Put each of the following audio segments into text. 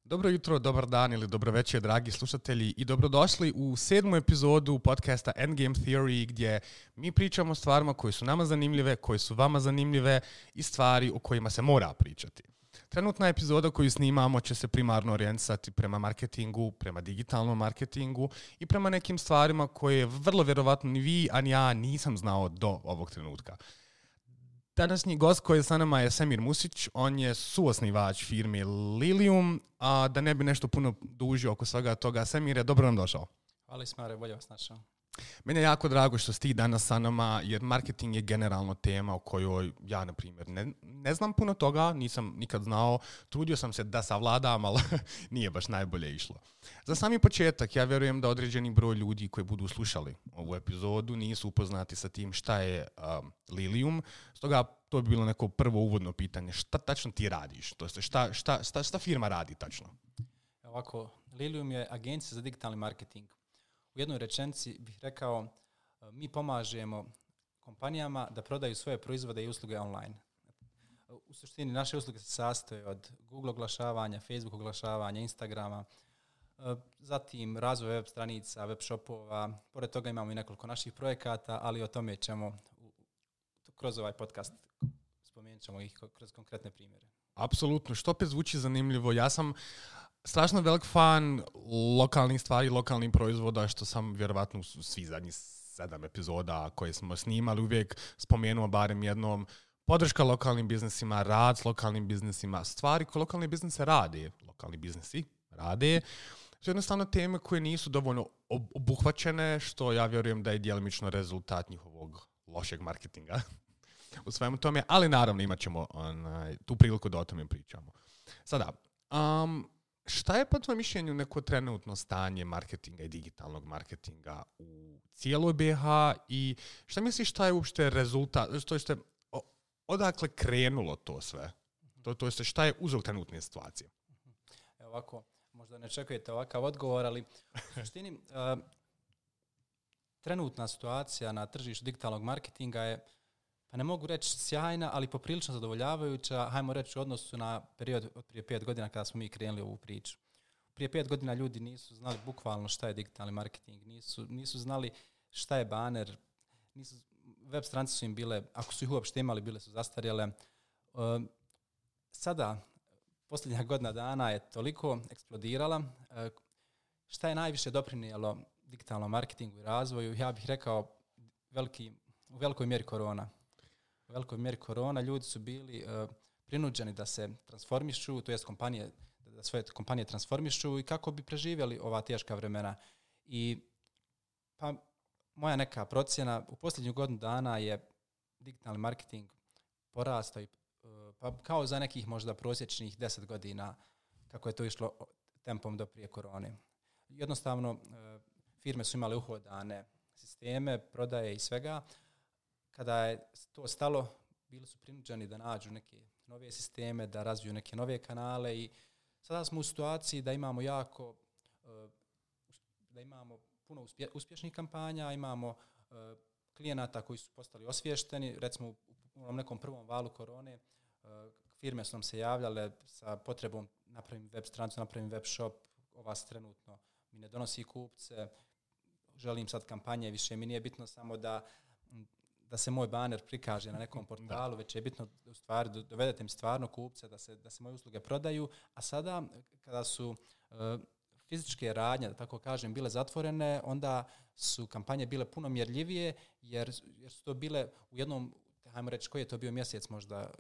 Dobro jutro, dobar dan ili dobro večer, dragi slušatelji, i dobrodošli u 7. epizodu podcasta Endgame Theory, gdje mi pričamo o stvarima koje su nama zanimljive, koje su vama zanimljive i stvari o kojima se mora pričati. Trenutna epizoda koju snimamo će se primarno orijentisati prema marketingu, prema digitalnom marketingu i prema nekim stvarima koje vrlo vjerovatno ni vi, ani ja nisam znao do ovog trenutka. Današnji gost koji je sa nama je Semir Musić, on je suosnivač firme Lilium, a da ne bi nešto puno dužio oko svega toga, Semire, dobro nam došao. Hvala Ismare, bolje vas našao. Meni je jako drago što si ti danas sa nama, jer marketing je generalno tema o kojoj ja, na primjer, ne znam puno toga, nisam nikad znao, trudio sam se da savladam, ali nije baš najbolje išlo. Za sami početak, ja vjerujem da određeni broj ljudi koji budu slušali ovu epizodu nisu upoznati sa tim šta je Lilium, stoga to bi bilo neko prvo uvodno pitanje. Šta tačno ti radiš? To jest, šta firma radi tačno? Ovako, Lilium je agencija za digitalni marketing. U jednoj rečenici bih rekao, mi pomažemo kompanijama da prodaju svoje proizvode i usluge online. U suštini naše usluge se sastoje od Google oglašavanja, Facebook oglašavanja, Instagrama, zatim razvoj web stranica, web shopova. Pored toga imamo i nekoliko naših projekata, ali o tome ćemo kroz ovaj podcast spomenut ćemo ih kroz konkretne primjere. Apsolutno, što opet zvuči zanimljivo. Ja sam strašno velik fan lokalnih stvari, lokalnih proizvoda, što sam vjerovatno svi zadnjih 7 epizoda koje smo snimali uvijek spomenuo barem jednom. Podrška lokalnim biznisima, rad s lokalnim biznisima, stvari koje lokalni biznisi rade, su jednostavno teme koje nisu dovoljno obuhvaćene, što ja vjerujem da je djelomično rezultat njihovog lošeg marketinga u svemu tome, ali naravno imat ćemo tu priliku da o tome pričamo. Sada, šta je po tvojom mišljenju neko trenutno stanje marketinga i digitalnog marketinga u cijeloj BiH i šta misliš šta je uopšte rezultat, to je odakle krenulo to sve? To je šta je uzrok trenutne situacije? Evo ovako, možda ne čekujete ovakav odgovor, ali u suštini trenutna situacija na tržištu digitalnog marketinga je, pa ne mogu reći sjajna, ali poprilično zadovoljavajuća, hajmo reći u odnosu na period od prije 5 godina kada smo mi krenuli ovu priču. Prije 5 godina ljudi nisu znali bukvalno šta je digitalni marketing, nisu znali šta je baner, web stranice su im bile, ako su ih uopšte imali, bile su zastarjele. Sada, posljednja godina dana je toliko eksplodirala. Šta je najviše doprinijelo digitalnom marketingu i razvoju? Ja bih rekao u velikoj mjeri korona. U velikoj mjeri korona ljudi su bili prinuđeni da se transformišu, to jest da svoje kompanije transformišu i kako bi preživjeli ova teška vremena. I pa moja neka procjena, u posljednju godinu dana je digitalni marketing porastao pa kao za nekih možda prosječnih 10 godina kako je to išlo tempom do prije korone. Jednostavno, firme su imale uhodane sisteme, prodaje i svega. Kada je to stalo, bili su prinuđeni da nađu neke nove sisteme, da razviju neke nove kanale i sada smo u situaciji da imamo puno uspješnih kampanja, imamo klijenata koji su postali osviješteni. Recimo u nekom prvom valu korone firme su nam se javljale sa potrebom napravim web stranicu, napravim web shop, ova se trenutno mi ne donosi kupce, želim sad kampanje, više mi nije bitno samo da se moj baner prikaže na nekom portalu, već je bitno u stvari dovedete mi stvarno kupce, da se moje usluge prodaju, a sada kada su fizičke radnje, da tako kažem, bile zatvorene, onda su kampanje bile puno mjerljivije, jer su to bile u jednom, hajmo reći, koji je to bio mjesec, možda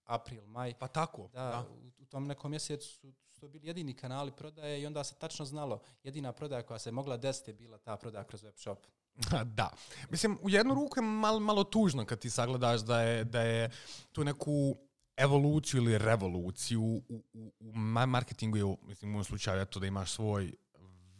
april, maj. Pa tako. Da. U tom nekom mjesecu su to bili jedini kanali prodaje i onda se tačno znalo, jedina prodaja koja se mogla desiti je bila ta prodaja kroz web shop. Da. Mislim, u jednu ruku je malo tužno kad ti sagledaš da je tu neku evoluciju ili revoluciju u marketingu, mislim, u ovom slučaju to da imaš svoj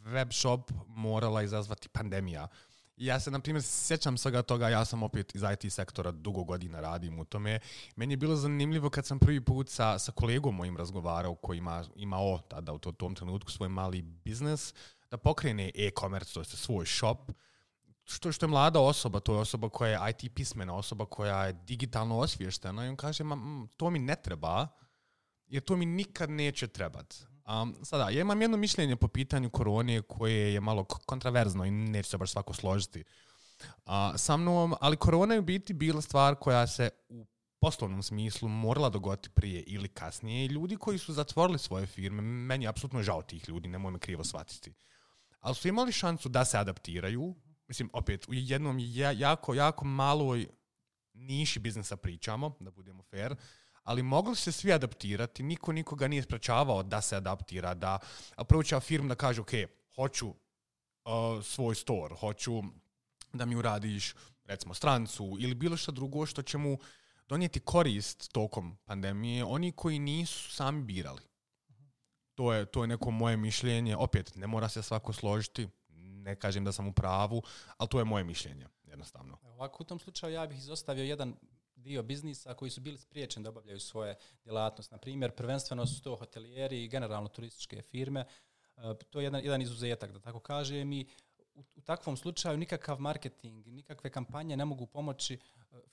web shop morala izazvati pandemija. Ja se, na primjer, sjećam svega toga, ja sam opet iz IT sektora, dugo godina radim u tome. Meni je bilo zanimljivo kad sam prvi put sa kolegom mojim razgovarao koji imao tada u tom trenutku svoj mali biznis, da pokrene e-commerce, to je svoj shop, što je mlada osoba, to je osoba koja je IT pismena, osoba koja je digitalno osviještena i on kaže, to mi ne treba, jer to mi nikad neće trebati. Sada, ja imam jedno mišljenje po pitanju korone koje je malo kontraverzno i neće se baš svako složiti sa mnom, ali korona je u biti bila stvar koja se u poslovnom smislu morala dogoditi prije ili kasnije i ljudi koji su zatvorili svoje firme, meni je apsolutno žao tih ljudi, nemoj me krivo shvatiti, ali su imali šansu da se adaptiraju, mislim, opet, u jednom jako maloj niši biznisa pričamo, da budemo fair, ali mogli se svi adaptirati, niko nikoga nije sprečavao da se adaptira, da approacha firmu da kaže, ok, hoću svoj store, hoću da mi uradiš, recimo, strancu ili bilo što drugo što će mu donijeti korist tokom pandemije, oni koji nisu sami birali. To je neko moje mišljenje. Opet, ne mora se svako složiti, ne kažem da sam u pravu, ali to je moje mišljenje, jednostavno. Ovako, u tom slučaju ja bih izostavio jedan dio biznisa koji su bili spriječeni da obavljaju svoje djelatnosti. Na primjer, prvenstveno su to hotelijeri i generalno turističke firme. To je jedan izuzetak, da tako kažem, i u takvom slučaju nikakav marketing, nikakve kampanje ne mogu pomoći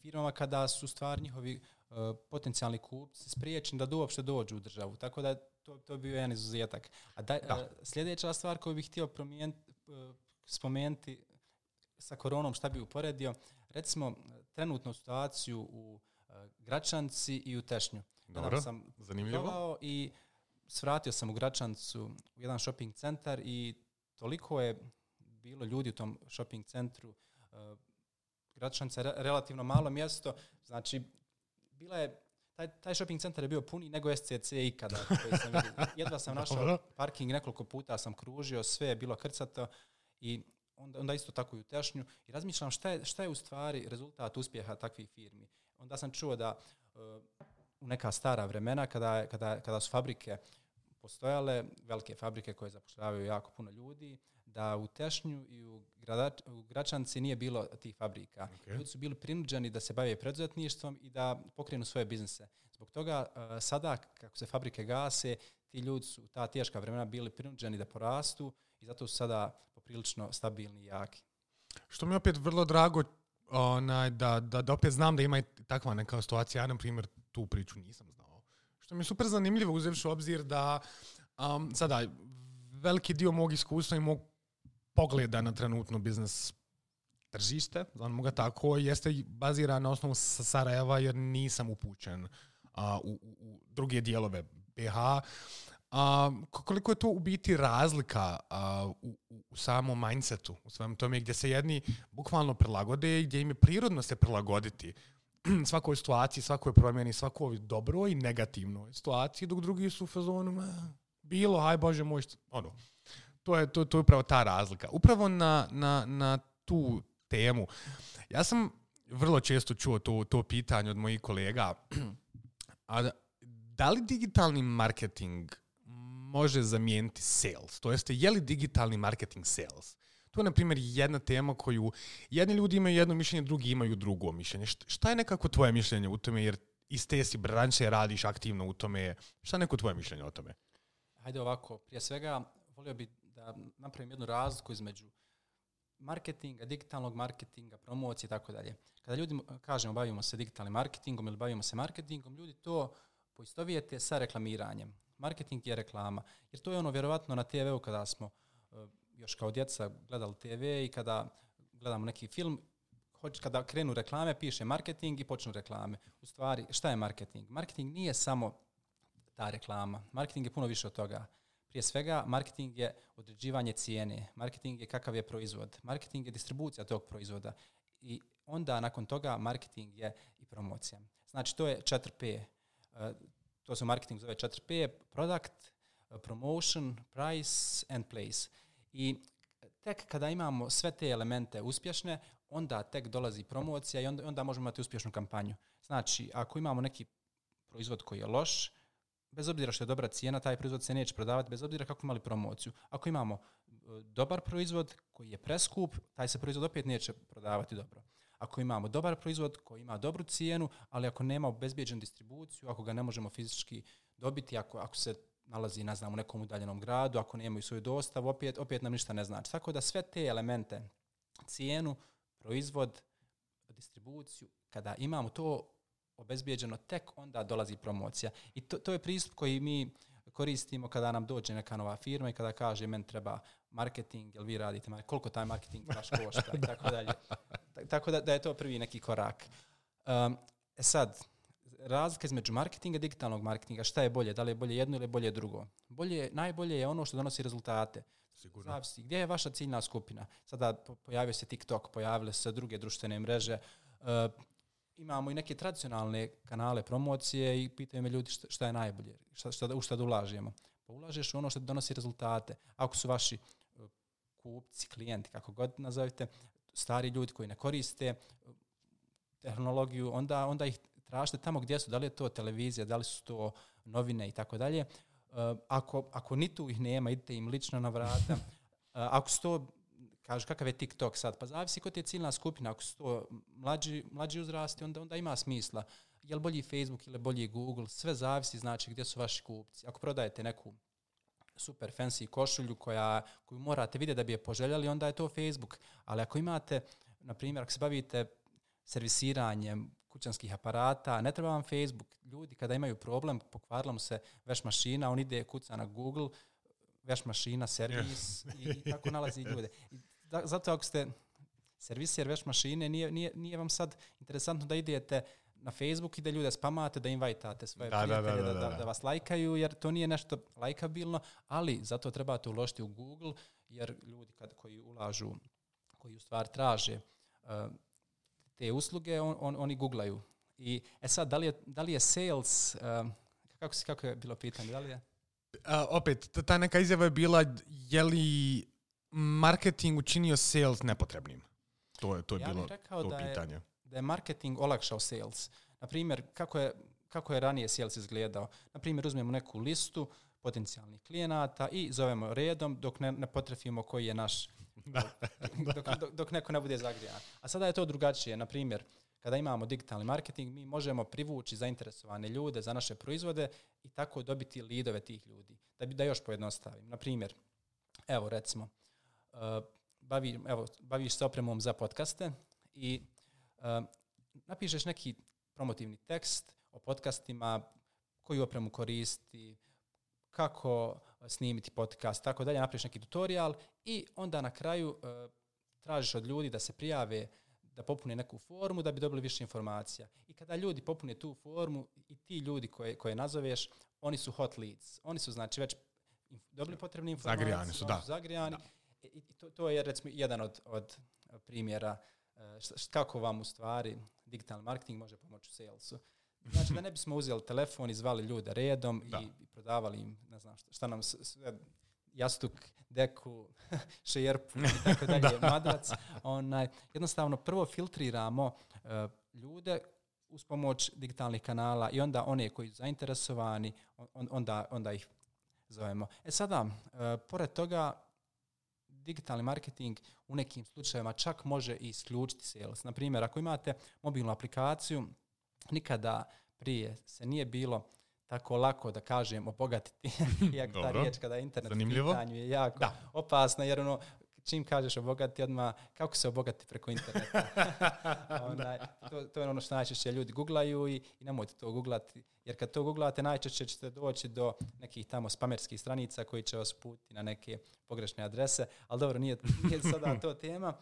firmama kada su stvari njihovi potencijalni kupci spriječeni da uopšte dođu u državu. Tako da to je bio jedan izuzetak. Sljedeća stvar koju bih htio spomenuti sa koronom, šta bi uporedio, recimo trenutnu situaciju u Gračanci i u Tešnju. Dobro, zanimljivo. I svratio sam u Gračancu u jedan shopping centar i toliko je bilo ljudi u tom shopping centru. Gračanca je relativno malo mjesto, znači bila je taj shopping centar je bio puniji nego SCC ikada. Jedva sam našao parking, nekoliko puta sam kružio, sve je bilo krcato i onda isto tako i u Tešnju. I razmišljam šta je u stvari rezultat uspjeha takvih firmi. Onda sam čuo da u neka stara vremena kada su fabrike postojale, velike fabrike koje zapošljavaju jako puno ljudi, da u Tešnju i u Gračanci nije bilo tih fabrika. Okay. Ljudi su bili prinuđeni da se bave preduzetništvom i da pokrenu svoje biznise. Zbog toga sada, kako se fabrike gase, ti ljudi su u ta teška vremena bili prinuđeni da porastu i zato su sada poprilično stabilni i jaki. Što mi je opet vrlo drago da opet znam da ima takva neka situacija. Ja, na primjer, tu priču nisam znao. Što mi je super zanimljivo uzevši u obzir da sada veliki dio mog iskustva i mog pogleda na trenutno biznes tržište, znamo ga tako, jeste baziran na osnovu Sarajeva jer nisam upućen u druge dijelove BiH. Koliko je to u biti razlika u samom mindsetu, u svem tome gdje se jedni bukvalno prilagode i gdje im je prirodno se prilagoditi svakoj situaciji, svakoj promjeni, svakoj dobroj i negativnoj situaciji, dok drugi su u fazonu bilo, aj Bože moj, to je upravo ta razlika. Upravo na tu temu. Ja sam vrlo često čuo to pitanje od mojih kolega, a da li digitalni marketing može zamijeniti sales? To jeste, je li digitalni marketing sales? To je, na primjer, jedna tema koju jedni ljudi imaju jedno mišljenje, drugi imaju drugo mišljenje. Šta je nekako tvoje mišljenje u tome, jer iz te si branše radiš aktivno u tome? Šta je neko tvoje mišljenje o tome? Hajde ovako, prije svega volio bih da napravim jednu razliku između marketinga, digitalnog marketinga, promocije i tako dalje. Kada ljudi kažemo bavimo se digitalnim marketingom ili bavimo se marketingom, ljudi to poistovijete sa reklamiranjem. Marketing je reklama. Jer to je ono vjerovatno na TV-u kada smo još kao djeca gledali TV i kada gledamo neki film, kada krenu reklame, piše marketing i počnu reklame. U stvari, šta je marketing? Marketing nije samo ta reklama. Marketing je puno više od toga. Prije svega, marketing je određivanje cijene. Marketing je kakav je proizvod. Marketing je distribucija tog proizvoda. I onda, nakon toga, marketing je i promocija. Znači, to je 4P. To se u marketingu zove 4P. Product, promotion, price and place. I tek kada imamo sve te elemente uspješne, onda tek dolazi promocija i onda možemo imati uspješnu kampanju. Znači, ako imamo neki proizvod koji je loš, bez obzira što je dobra cijena, taj proizvod se neće prodavati, bez obzira kako imali promociju. Ako imamo dobar proizvod koji je preskup, taj se proizvod opet neće prodavati dobro. Ako imamo dobar proizvod koji ima dobru cijenu, ali ako nema obezbijeđenu distribuciju, ako ga ne možemo fizički dobiti, ako se nalazi, ne znam, u nekom udaljenom gradu, ako nemaju svoju dostavu, opet nam ništa ne znači. Tako da sve te elemente, cijenu, proizvod, distribuciju, kada imamo to obezbijeđeno, tek onda dolazi promocija. I to je pristup koji mi koristimo kada nam dođe neka nova firma i kada kaže meni treba marketing, jel vi radite, koliko taj marketing baš košta i tako dalje. Tako da je to prvi neki korak. Sad, razlika između marketinga i digitalnog marketinga, šta je bolje? Da li je bolje jedno ili bolje drugo? Najbolje je ono što donosi rezultate. Sigurno. Zavisi, gdje je vaša ciljna skupina? Sada pojavio se TikTok, pojavile se druge društvene mreže. Imamo i neke tradicionalne kanale promocije i pitaju me ljudi šta je najbolje, u šta da ulažemo. Pa ulažeš u ono što donosi rezultate. Ako su vaši kupci, klijenti, kako god nazovite, stari ljudi koji ne koriste tehnologiju, onda ih tražite tamo gdje su, da li je to televizija, da li su to novine i tako dalje. Ako ni tu ih nema, idite im lično na vrata. Ako su to, kažu kakav je TikTok sad, pa zavisi ko ti je ciljna skupina. Ako su to mlađi uzrasti, onda ima smisla. Je li bolji Facebook ili bolji Google, sve zavisi, znači gdje su vaši kupci. Ako prodajete neku super fancy košulju koju morate vidjeti da bi je poželjeli, onda je to Facebook. Ali ako imate, na primjer, ako se bavite servisiranjem kućanskih aparata, ne treba vam Facebook. Ljudi kada imaju problem, pokvarila mu se veš mašina, on ide kuca na Google, veš mašina, servis i tako nalazi ljude. Zato ako ste serviser veš mašine, nije vam sad interesantno da idete na Facebook i da ljude spamate, da invajtate svoje prijatelje, da vas lajkaju, jer to nije nešto lajkabilno, ali zato trebate uložiti u Google, jer ljudi koji ulažu, koji u stvari traže te usluge, oni googlaju. I sad, da li je sales, kako je bilo pitanje, da li je? Opet, ta neka izjava je bila, je li marketing učinio sales nepotrebnim? To je bilo to pitanje. Da je marketing olakšao sales. Naprimjer, kako je ranije sales izgledao? Naprimjer, uzmemo neku listu potencijalnih klijenata i zovemo redom dok ne potrefimo koji je naš, dok neko ne bude zagrijan. A sada je to drugačije. Naprimjer, kada imamo digitalni marketing, mi možemo privući zainteresovane ljude za naše proizvode i tako dobiti lidove tih ljudi. Da još pojednostavim. Naprimjer, evo recimo, baviš se opremom za podcaste i napišeš neki promotivni tekst o podcastima, koju opremu koristi, kako snimiti podcast, tako dalje, napraviš neki tutorial i onda na kraju tražiš od ljudi da se prijave, da popune neku formu da bi dobili više informacija. I kada ljudi popune tu formu i ti ljudi koje nazoveš, oni su hot leads. Oni su znači već dobili potrebne informacije. Zagrijani su, da. Zagrijani. I to je recimo jedan od primjera kako vam u stvari digitalni marketing može pomoći u salesu. Znači da ne bismo uzeli telefon i zvali ljude redom i prodavali im, ne znam šta nam sve, jastuk, deku, šerpu i tako dalje, madrac. Jednostavno prvo filtriramo ljude uz pomoć digitalnih kanala i onda one koji su zainteresovani, onda ih zovemo. Sada, pored toga, digitalni marketing u nekim slučajevima čak može i isključiti sales. Naprimjer, ako imate mobilnu aplikaciju, nikada prije se nije bilo tako lako da kažem obogatiti, iako ta riječ kada je internet u pitanju je jako opasna, jer čim kažeš obogati odmah, kako se obogati preko interneta? To je ono što najčešće ljudi googlaju i nemojte to googlati, jer kad to googlate najčešće ćete doći do nekih tamo spamerskih stranica koji će vas putiti na neke pogrešne adrese, ali dobro, nije sada to tema.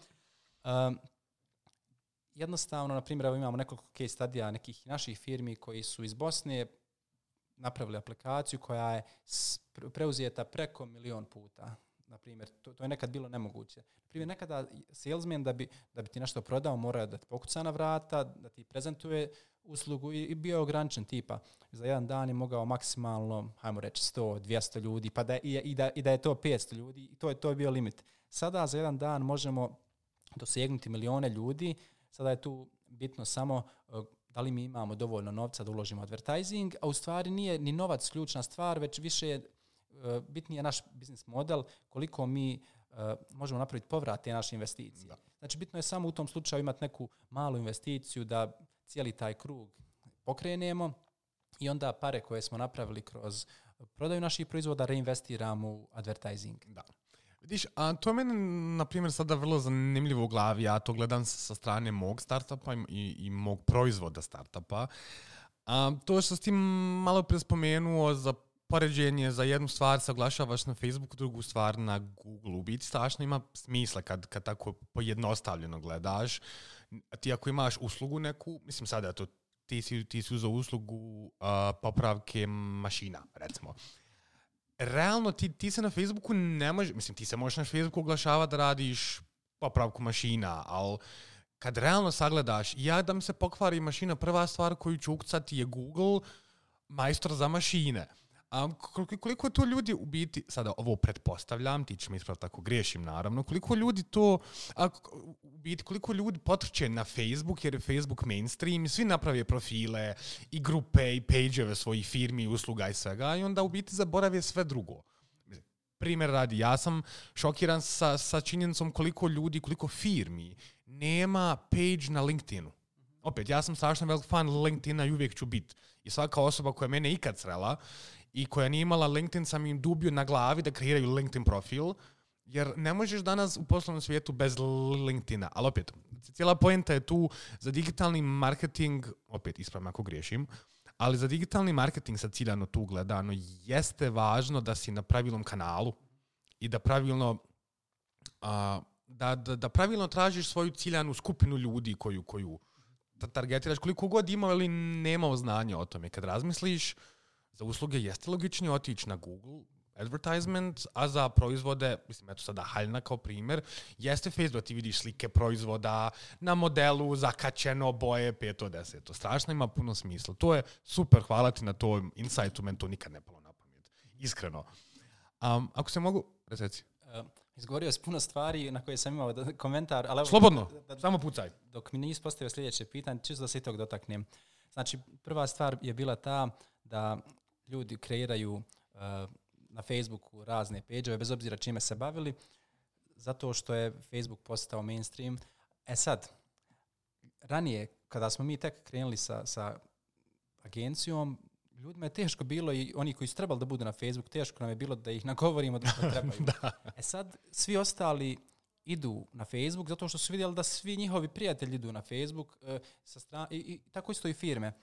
Jednostavno, na primjer, imamo nekoliko case studija nekih naših firmi koji su iz Bosne napravili aplikaciju koja je preuzeta preko 1.000.000 puta. Na primjer, to je nekad bilo nemoguće. Na primjer, nekada salesman da bi ti nešto prodao mora da ti pokuca na vrata, da ti prezentuje uslugu i bio je ograničen tipa. Za jedan dan je mogao maksimalno, hajmo reći, 100, 200 ljudi, pa da je to 500 ljudi i to je bio limit. Sada za jedan dan možemo dosegnuti 1.000.000 ljudi. Sada je tu bitno samo da li mi imamo dovoljno novca da uložimo advertising, a u stvari nije ni novac ključna stvar, već više bitniji je naš biznis model, koliko mi možemo napraviti povrat te naše investicije. Da. Znači, bitno je samo u tom slučaju imati neku malu investiciju da cijeli taj krug pokrenemo i onda pare koje smo napravili kroz prodaju naših proizvoda reinvestiramo u advertising. Da. Vidiš, a to je meni, na primjer, sada vrlo zanimljivo u glavi. Ja to gledam sa strane mog startupa i mog proizvoda startupa. To što si ti malo prije spomenuo za poređenje za jednu stvar saglašavaš na Facebooku, drugu stvar na Google. U biti strašno ima smisla kad tako pojednostavljeno gledaš. Ti ako imaš uslugu neku, mislim sada to ti si uzeo uslugu popravke mašina, recimo. Realno ti se na Facebooku ne može, mislim ti se možeš na Facebooku oglašavati da radiš popravku mašina, ali kad realno sagledaš, da mi se pokvari mašina, prva stvar koju ću ukcati je Google, majstor za mašine. Koliko to ljudi u biti, sada ovo pretpostavljam, ti će mi ispraviti ako griješim naravno, koliko ljudi to, u biti koliko ljudi potrče na Facebook jer je Facebook mainstream i svi naprave profile i grupe i page-eve svojih firmi, usluga i svega i onda u biti zaborave sve drugo. Primjer radi, ja sam šokiran sa činjenicom koliko ljudi, koliko firmi nema page na LinkedInu. Opet, ja sam strašno velik fan LinkedIna i uvijek ću biti. I svaka osoba koja mene ikad srela i koja nije imala LinkedIn, sam im dubio na glavi da kreiraju LinkedIn profil, jer ne možeš danas u poslovnom svijetu bez LinkedIna. Ali opet, cijela poenta je tu za digitalni marketing, opet ispravim ako griješim, ali za digitalni marketing sad ciljano tu gledano jeste važno da si na pravilnom kanalu i da pravilno da pravilno tražiš svoju ciljanu skupinu ljudi koju targetiraš, koliko god imao ili nemao znanja o tome. Kad razmisliš, za usluge jeste logičnije otići na Google advertisement, a za proizvode, mislim, eto sada haljna kao primjer, jeste Facebook, ti vidiš slike proizvoda na modelu, zakačeno, boje, 5 od 10. To strašno ima puno smisla. To je super, hvala ti na tom insightu, meni to nikad ne palo na pamet. Iskreno. Ako se mogu, reci. Izgovorio si puno stvari na koje sam imao komentar. Ali slobodno, samo pucaj. Dok mi nisi postavio sljedeće pitanje, čisto da se i tog dotaknem. Znači, prva stvar je bila ta da ljudi kreiraju na Facebooku razne page-ove, bez obzira čime se bavili, zato što je Facebook postao mainstream. Sad, ranije, kada smo mi tek krenuli sa agencijom, ljudima je teško bilo i oni koji su trebali da budu na Facebook, teško nam je bilo da ih nagovorimo da trebaju. Da. Sad, svi ostali idu na Facebook zato što su vidjeli da svi njihovi prijatelji idu na Facebook i tako isto i firme.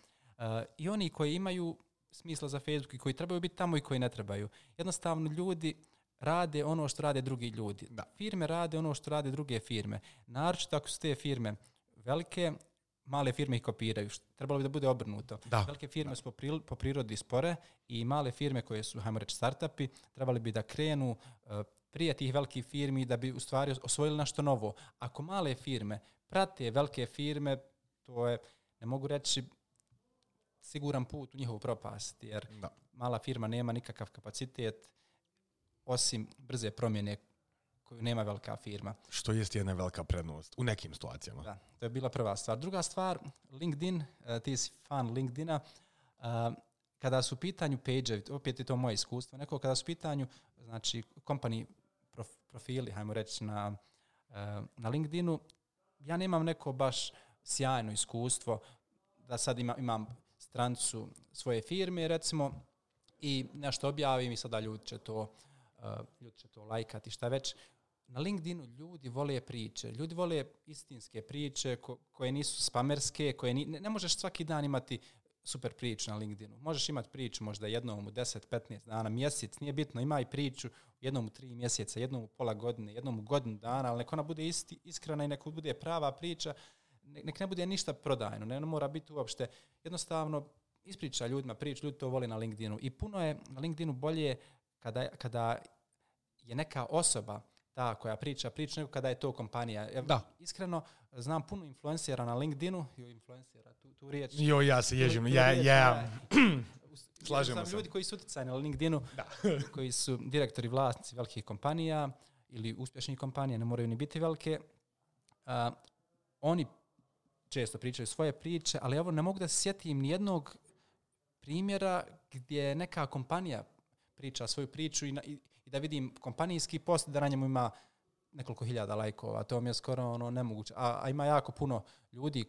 I oni koji imaju smisla za Facebook i koji trebaju biti tamo i koji ne trebaju. Jednostavno ljudi rade ono što rade drugi ljudi. Da. Firme rade ono što rade druge firme. Naročito ako su te firme velike, male firme ih kopiraju. Trebalo bi da bude obrnuto. Da. Velike firme su po prirodi spore i male firme koje su, hajmo reći, startupi, trebali bi da krenu prije tih velikih firmi da bi u stvari osvojili nešto novo. Ako male firme prate velike firme, to je, ne mogu reći, siguran put u njihovu propast, jer mala firma nema nikakav kapacitet osim brze promjene koju nema velika firma. Što jest jedna velika prednost u nekim situacijama. Da, to je bila prva stvar. Druga stvar, LinkedIn, ti si fan LinkedIna, kada su u pitanju page-evi, opet je to moje iskustvo, kada su u pitanju, znači, company profili, hajmo reći, na LinkedInu, ja nemam neko baš sjajno iskustvo da sad imam stranicu svoje firme, recimo, i nešto objavim i sada ljudi će to lajkati, šta već. Na LinkedInu ljudi vole priče. Ljudi vole istinske priče koje nisu spamerske, koje ne možeš svaki dan imati super priču na LinkedInu. Možeš imati priču možda jednom u 10-15 dana, mjesec, nije bitno, ima i priču jednom u 3 mjeseca, jednom u pola godine, jednom u godinu dana, ali nek ona bude iskrena i nek bude prava priča, nek ne bude ništa prodajno, ne mora biti uopšte. Jednostavno, ispriča ljudima priču, ljudi to vole na LinkedInu. I puno je na LinkedInu bolje kada je neka osoba ta koja priča nego kada je to kompanija. Da. Iskreno, znam puno influencera na LinkedInu, tu riječ. Ja se ježim, slažemo se. Ljudi koji su utjecajni na LinkedInu, koji su direktori, vlasnici velikih kompanija ili uspješnih kompanija, ne moraju ni biti velike, oni često pričaju svoje priče, ali evo ne mogu da se sjetim nijednog primjera gdje neka kompanija priča svoju priču i da vidim kompanijski post da na njemu ima nekoliko hiljada lajkova. To mi je skoro nemoguće. A ima jako puno ljudi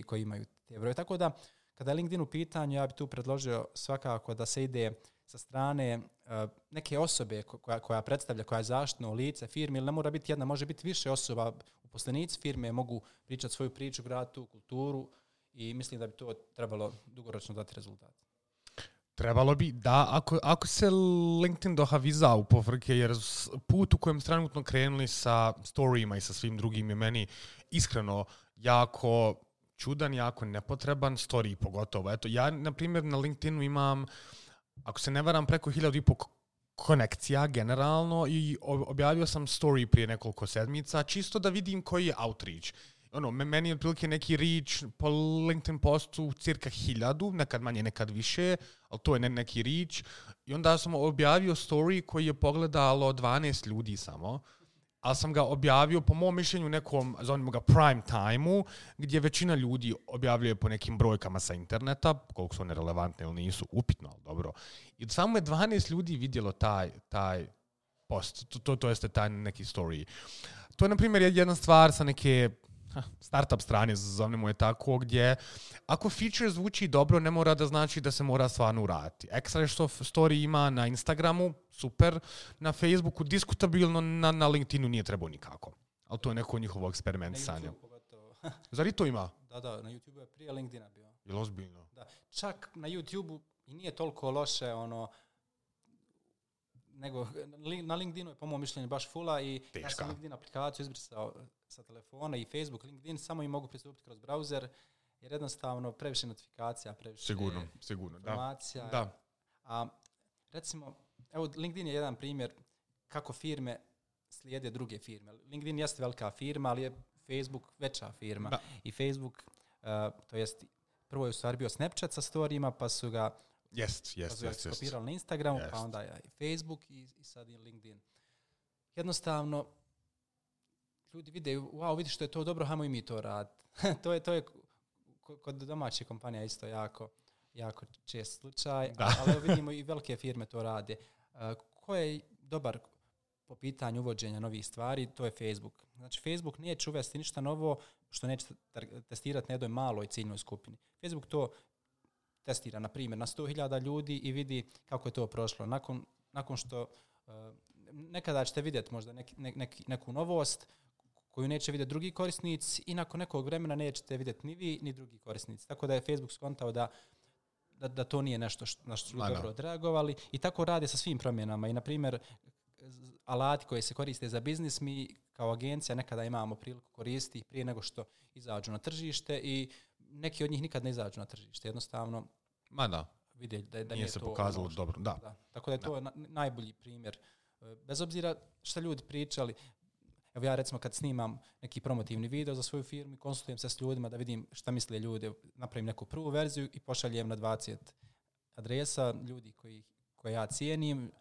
koji imaju te broje. Tako da, kada je LinkedIn u pitanju, ja bih tu predložio svakako da se ide sa strane neke osobe koja predstavlja, koja je zaštitno lice firme, ili ne mora biti jedna, može biti više osoba. Uposlenici firme mogu pričati svoju priču, graditi tu kulturu i mislim da bi to trebalo dugoročno dati rezultat. Trebalo bi da, ako se LinkedIn dohaviza u pofrke, jer put u kojem trenutno krenuli sa storyima i sa svim drugim je meni iskreno jako čudan, jako nepotreban, story pogotovo. Eto, ja, na primjer, na LinkedInu imam, ako se ne varam, preko 1.500 konekcija generalno i objavio sam story prije nekoliko sedmica, čisto da vidim koji je outreach. Meni je otprilike neki reach po LinkedIn postu cirka 1000, nekad manje, nekad više, ali to je neki reach. I onda sam objavio story koji je pogledalo 12 ljudi samo, ali sam ga objavio po mom mišljenju nekom, zovemo ga prime time-u, gdje većina ljudi objavljuje po nekim brojkama sa interneta, koliko su one relevantne ili nisu, upitno, ali dobro. I samo je 12 ljudi vidjelo taj post, to jeste taj neki story. To je, na primjer, jedna stvar sa neke startup strane, zovemo je tako, gdje ako feature zvuči dobro, ne mora da znači da se mora stvarno uraditi. Ekstra je što story ima na Instagramu, super, na Facebooku, diskutabilno, na LinkedInu nije trebao nikako. Ali to je neko njihovo eksperimentisanje. Zar i to ima? Da, na YouTubeu je prije LinkedIna bio. Je li ozbiljno? Da. Čak na YouTubeu i nije toliko loše, nego na LinkedInu je po mom mišljenju baš fula i teška. Ja sam LinkedIn aplikaciju izbrisao sa telefona i Facebook, LinkedIn, samo im mogu pristupiti kroz browser, jer jednostavno previše notifikacija, previše sigurno, informacija. Da. A recimo, evo LinkedIn je jedan primjer kako firme slijede druge firme. LinkedIn jeste velika firma, ali je Facebook veća firma. Da. I Facebook, to jest, prvo je u stvari bio Snapchat sa storijima, pa su ga skopirali na Instagramu, pa onda je i Facebook i sad i LinkedIn. Jednostavno, ljudi vide, wow, vidi što je to dobro, hajmo i mi to raditi. to je kod domaćih kompanija isto jako čest slučaj, ali vidimo i velike firme to rade. Ko je dobar po pitanju uvođenja novih stvari, to je Facebook. Znači, Facebook neće uvesti ništa novo što neće testirati na jednoj maloj ciljnoj skupini. Facebook to testira, na primjer, na 100.000 ljudi i vidi kako je to prošlo. Nakon što nekada ćete vidjeti možda neku novost koju neće vidjeti drugi korisnici i nakon nekog vremena nećete vidjeti ni vi ni drugi korisnici. Tako da je Facebook skontao da to nije nešto na što su dobro odreagovali i tako rade sa svim promjenama. I, na primjer, alati koji se koriste za biznis, mi kao agencija nekada imamo priliku koristiti prije nego što izađu na tržište i neki od njih nikad ne izađu na tržište. Jednostavno vide da nije se pokazalo dobro. Da. Tako da je to najbolji primjer. Bez obzira šta ljudi pričali, evo ja recimo kad snimam neki promotivni video za svoju firmu i konsultujem se s ljudima da vidim šta misle ljudi, napravim neku prvu verziju i pošaljem na 20 adresa ljudi koje ja cijenim,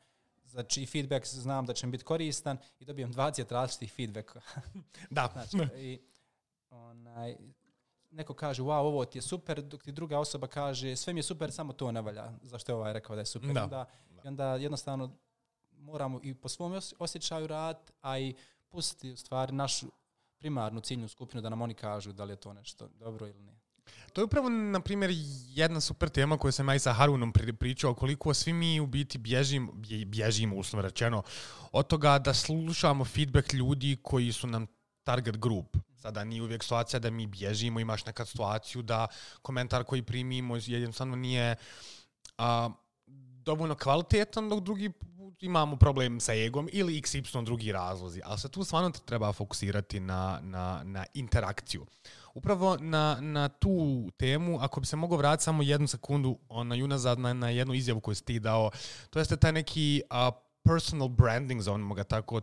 znači feedback znam da će mi biti koristan i dobijem 20 različitih feedbacka. Da. Znači, i neko kaže, wow, ovo ti je super, dok ti druga osoba kaže, sve mi je super, samo to ne valja. Zašto je ovaj rekao da je super? I onda jednostavno moramo i po svom osjećaju raditi, a i pustiti u stvari našu primarnu ciljnu skupinu da nam oni kažu da li je to nešto dobro ili ne. To je upravo, na primjer, jedna super tema koju sam ja i sa Harunom pričao, koliko svi mi u biti bježimo, uslovno rečeno, od toga da slušamo feedback ljudi koji su nam target group. Sada nije uvijek situacija da mi bježimo, imaš nekad situaciju da komentar koji primimo jednostavno nije dovoljno kvalitetan, dok drugi imamo problem sa egom ili XY drugi razlozi. Ali se tu stvarno treba fokusirati na interakciju. Upravo na tu temu, ako bi se mogao vratiti samo jednu sekundu unazad na jednu izjavu koju si ti dao, to jeste taj neki personal branding, zovemo ga tako.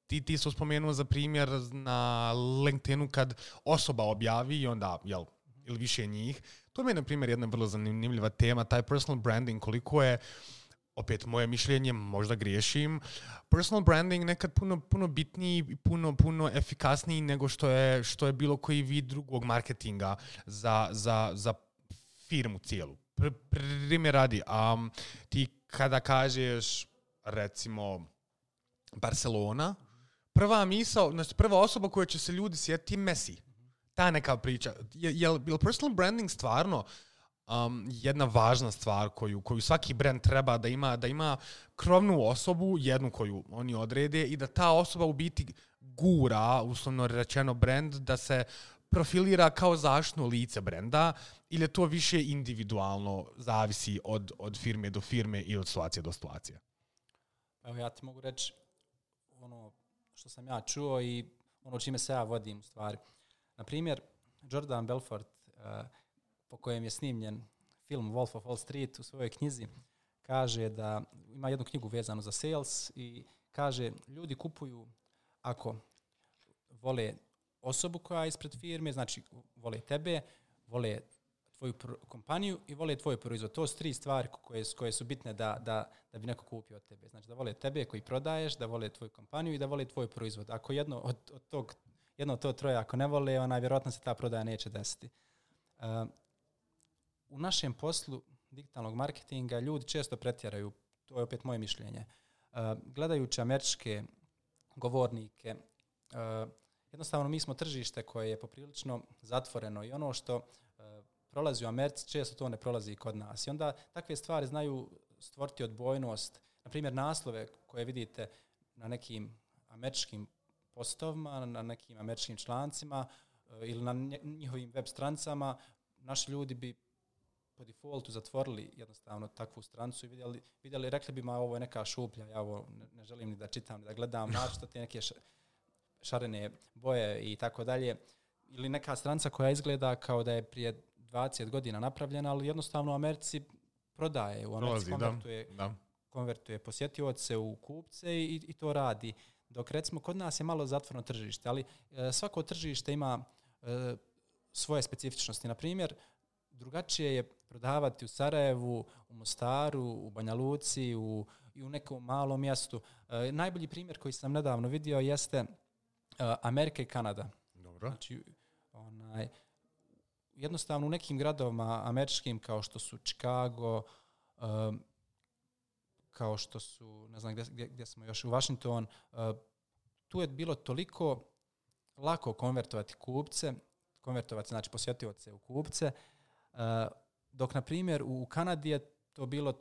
Ti su spomenuo za primjer na LinkedInu kad osoba objavi i onda, ili više njih. To mi je, na primjer, jedna vrlo zanimljiva tema, taj personal branding, koliko je, opet moje mišljenje, možda griješim, personal branding nekad puno bitniji i puno efikasniji nego što je bilo koji vid drugog marketinga za firmu cijelu. Primjer radi, ti kada kažeš, recimo, Barcelona, prva misao, znači prva osoba koja će se ljudi sjetiti je Messi. Ta neka priča. Je personal branding stvarno jedna važna stvar koju svaki brand treba da ima krovnu osobu, jednu koju oni odrede i da ta osoba u biti gura, uslovno rečeno, brand da se profilira kao zaštitno lice brenda ili je to više individualno, zavisi od firme do firme i od situacije do situacije? Evo ja ti mogu reći ono što sam ja čuo i ono čime se ja vodim u stvari. Na primjer, Jordan Belfort, po kojem je snimljen film Wolf of Wall Street u svojoj knjizi, kaže da ima jednu knjigu vezanu za sales i kaže ljudi kupuju ako vole osobu koja je ispred firme, znači vole tebe, vole tvoju kompaniju i vole tvoj proizvod. To su 3 stvari koje su bitne da bi neko kupio od tebe. Znači da vole tebe koji prodaješ, da vole tvoju kompaniju i da vole tvoj proizvod. Ako jedno od to troje ako ne vole, vjerojatno se ta prodaja neće desiti. U našem poslu digitalnog marketinga ljudi često pretjeraju, to je opet moje mišljenje. Gledajući američke govornike, jednostavno mi smo tržište koje je poprilično zatvoreno i ono što prolazi u Americi često to ne prolazi i kod nas. I onda takve stvari znaju stvoriti odbojnost. Na primjer, naslove koje vidite na nekim američkim postovima, na nekim američkim člancima ili na njihovim web strancama, naši ljudi bi po defaultu zatvorili jednostavno takvu strancu i vidjeli, rekli bi, ovo je neka šuplja, ja ovo ne želim ni da čitam, ni da gledam, našto te neke šarene boje i tako dalje. Ili neka stranca koja izgleda kao da je prije 20 godina napravljena, ali jednostavno u Americi prodaje, u Americi konvertuje posjetioce u kupce i to radi. Dok recimo kod nas je malo zatvoreno tržište, ali svako tržište ima svoje specifičnosti. Na primjer, drugačije je prodavati u Sarajevu, u Mostaru, u Banja Luci i u nekom malom mjestu. Najbolji primjer koji sam nedavno vidio jeste Amerika i Kanada. Dobro. Znači, jednostavno u nekim gradovima američkim kao što su Chicago, kao što su, ne znam gdje smo još, u Washington, tu je bilo toliko lako konvertovati kupce, znači posjetioce u kupce, dok, na primjer, u Kanadi je to bilo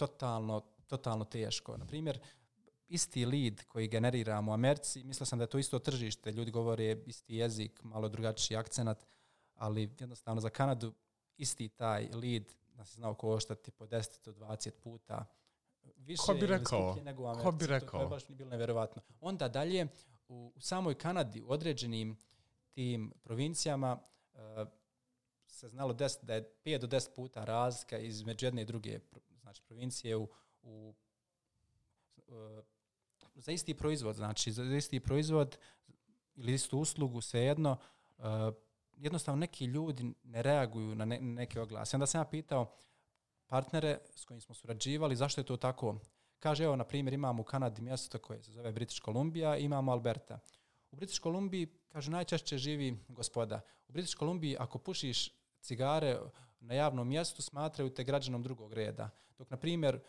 totalno teško. Na primjer, isti lead koji generiramo u Americi, mislio sam da je to isto tržište, ljudi govore isti jezik, malo drugačiji akcenat, ali jednostavno za Kanadu isti taj lead nas je znao koštati po 10 do 20 puta više ili skuplje nego u Americi. Ko bi rekao? To je baš bilo nevjerovatno. Onda dalje, u samoj Kanadi, u određenim tim provincijama, se znalo desiti da je 5 do 10 puta razlika između jedne i druge, znači provincije za isti proizvod, znači za isti proizvod ili istu uslugu, svejedno, jednostavno neki ljudi ne reaguju na neke oglase. Onda sam ja pitao partnere s kojim smo surađivali zašto je to tako. Kaže, evo, na primjer, imamo u Kanadi mjesto koje se zove British Columbia, imamo Alberta. U British Columbiji, kaže, najčešće živi gospoda. U British Columbiji, ako pušiš cigare na javnom mjestu, smatraju te građanom drugog reda. Dok, na primjer,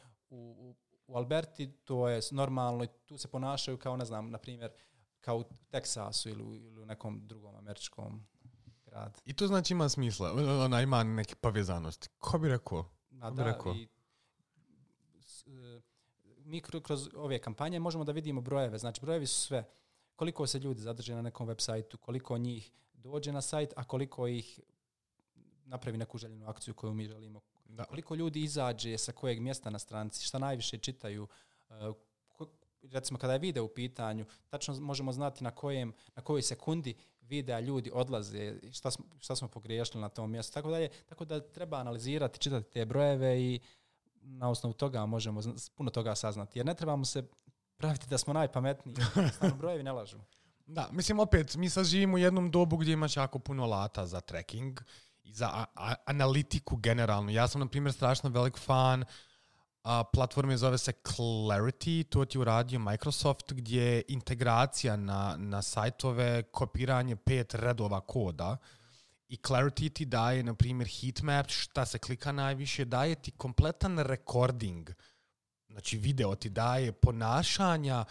u Alberti to je normalno i tu se ponašaju kao, ne znam, na primjer, kao u Teksasu ili u nekom drugom američkom gradu. I to znači ima smisla, ona ima neke povezanosti. Ko bi rekao? Mi kroz ove kampanje možemo da vidimo brojeve. Znači, brojevi su sve. Koliko se ljudi zadrže na nekom web sajtu, koliko njih dođe na sajt, a koliko ih napravi neku željenu akciju koju mi želimo. Da. Koliko ljudi izađe sa kojeg mjesta na stranici, šta najviše čitaju. Recimo, kada je video u pitanju, tačno možemo znati na kojoj sekundi videa ljudi odlaze, šta smo pogriješili na tom mjestu. Tako da treba analizirati, čitati te brojeve i na osnovu toga možemo puno toga saznati. Jer ne trebamo se praviti da smo najpametniji. Stvarno, brojevi ne lažu. Da, mislim, opet, mi sad živimo u jednom dobu gdje imaš jako puno alata za tracking i za analitiku generalno. Ja sam, na primjer, strašno velik fan platforme, zove se Clarity, to ti uradio Microsoft, gdje je integracija na sajtove, kopiranje 5 redova koda i Clarity ti daje, na primjer, heatmap, šta se klika najviše, daje ti kompletan recording, znači video ti daje ponašanja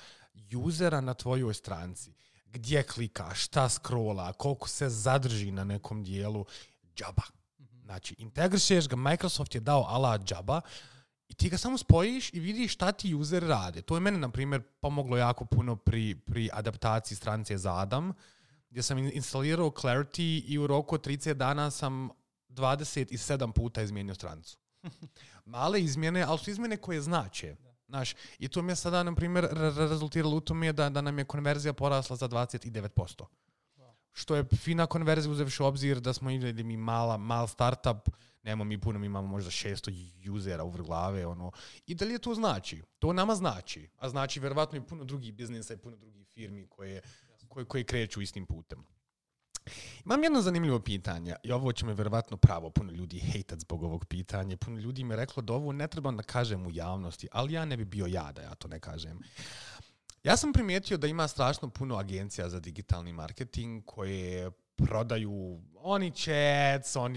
usera na tvojoj stranci, gdje klika, šta scrolla, koliko se zadrži na nekom dijelu, džaba. Znači, integrišeš ga, Microsoft je dao ala džaba, i ti ga samo spojiš i vidiš šta ti user rade. To je mene, na primjer, pomoglo jako puno pri adaptaciji stranice za Adam, gdje sam instalirao Clarity i u roku od 30 dana sam 27 puta izmijenio stranicu. Male izmjene, ali su izmjene koje znače. Znaš, i to mi je sada, na primjer, rezultiralo u tome da nam je konverzija porasla za 29%. Što je fina konverzija uzevši u obzir da smo imali mi mal startup, nemamo mi puno, mi imamo možda 600 usera u glave, ono. I da li je to znači? To nama znači. A znači vjerovatno i puno drugih biznisa i puno drugih firmi koje kreću istim putem. Imam jedno zanimljivo pitanje i ovo će me vjerovatno pravo puno ljudi hejtat zbog ovog pitanja. Puno ljudi mi je reklo da ovo ne treba da kažem u javnosti, ali ja ne bi bio ja da ja to ne kažem. Ja sam primijetio da ima strašno puno agencija za digitalni marketing koje prodaju oni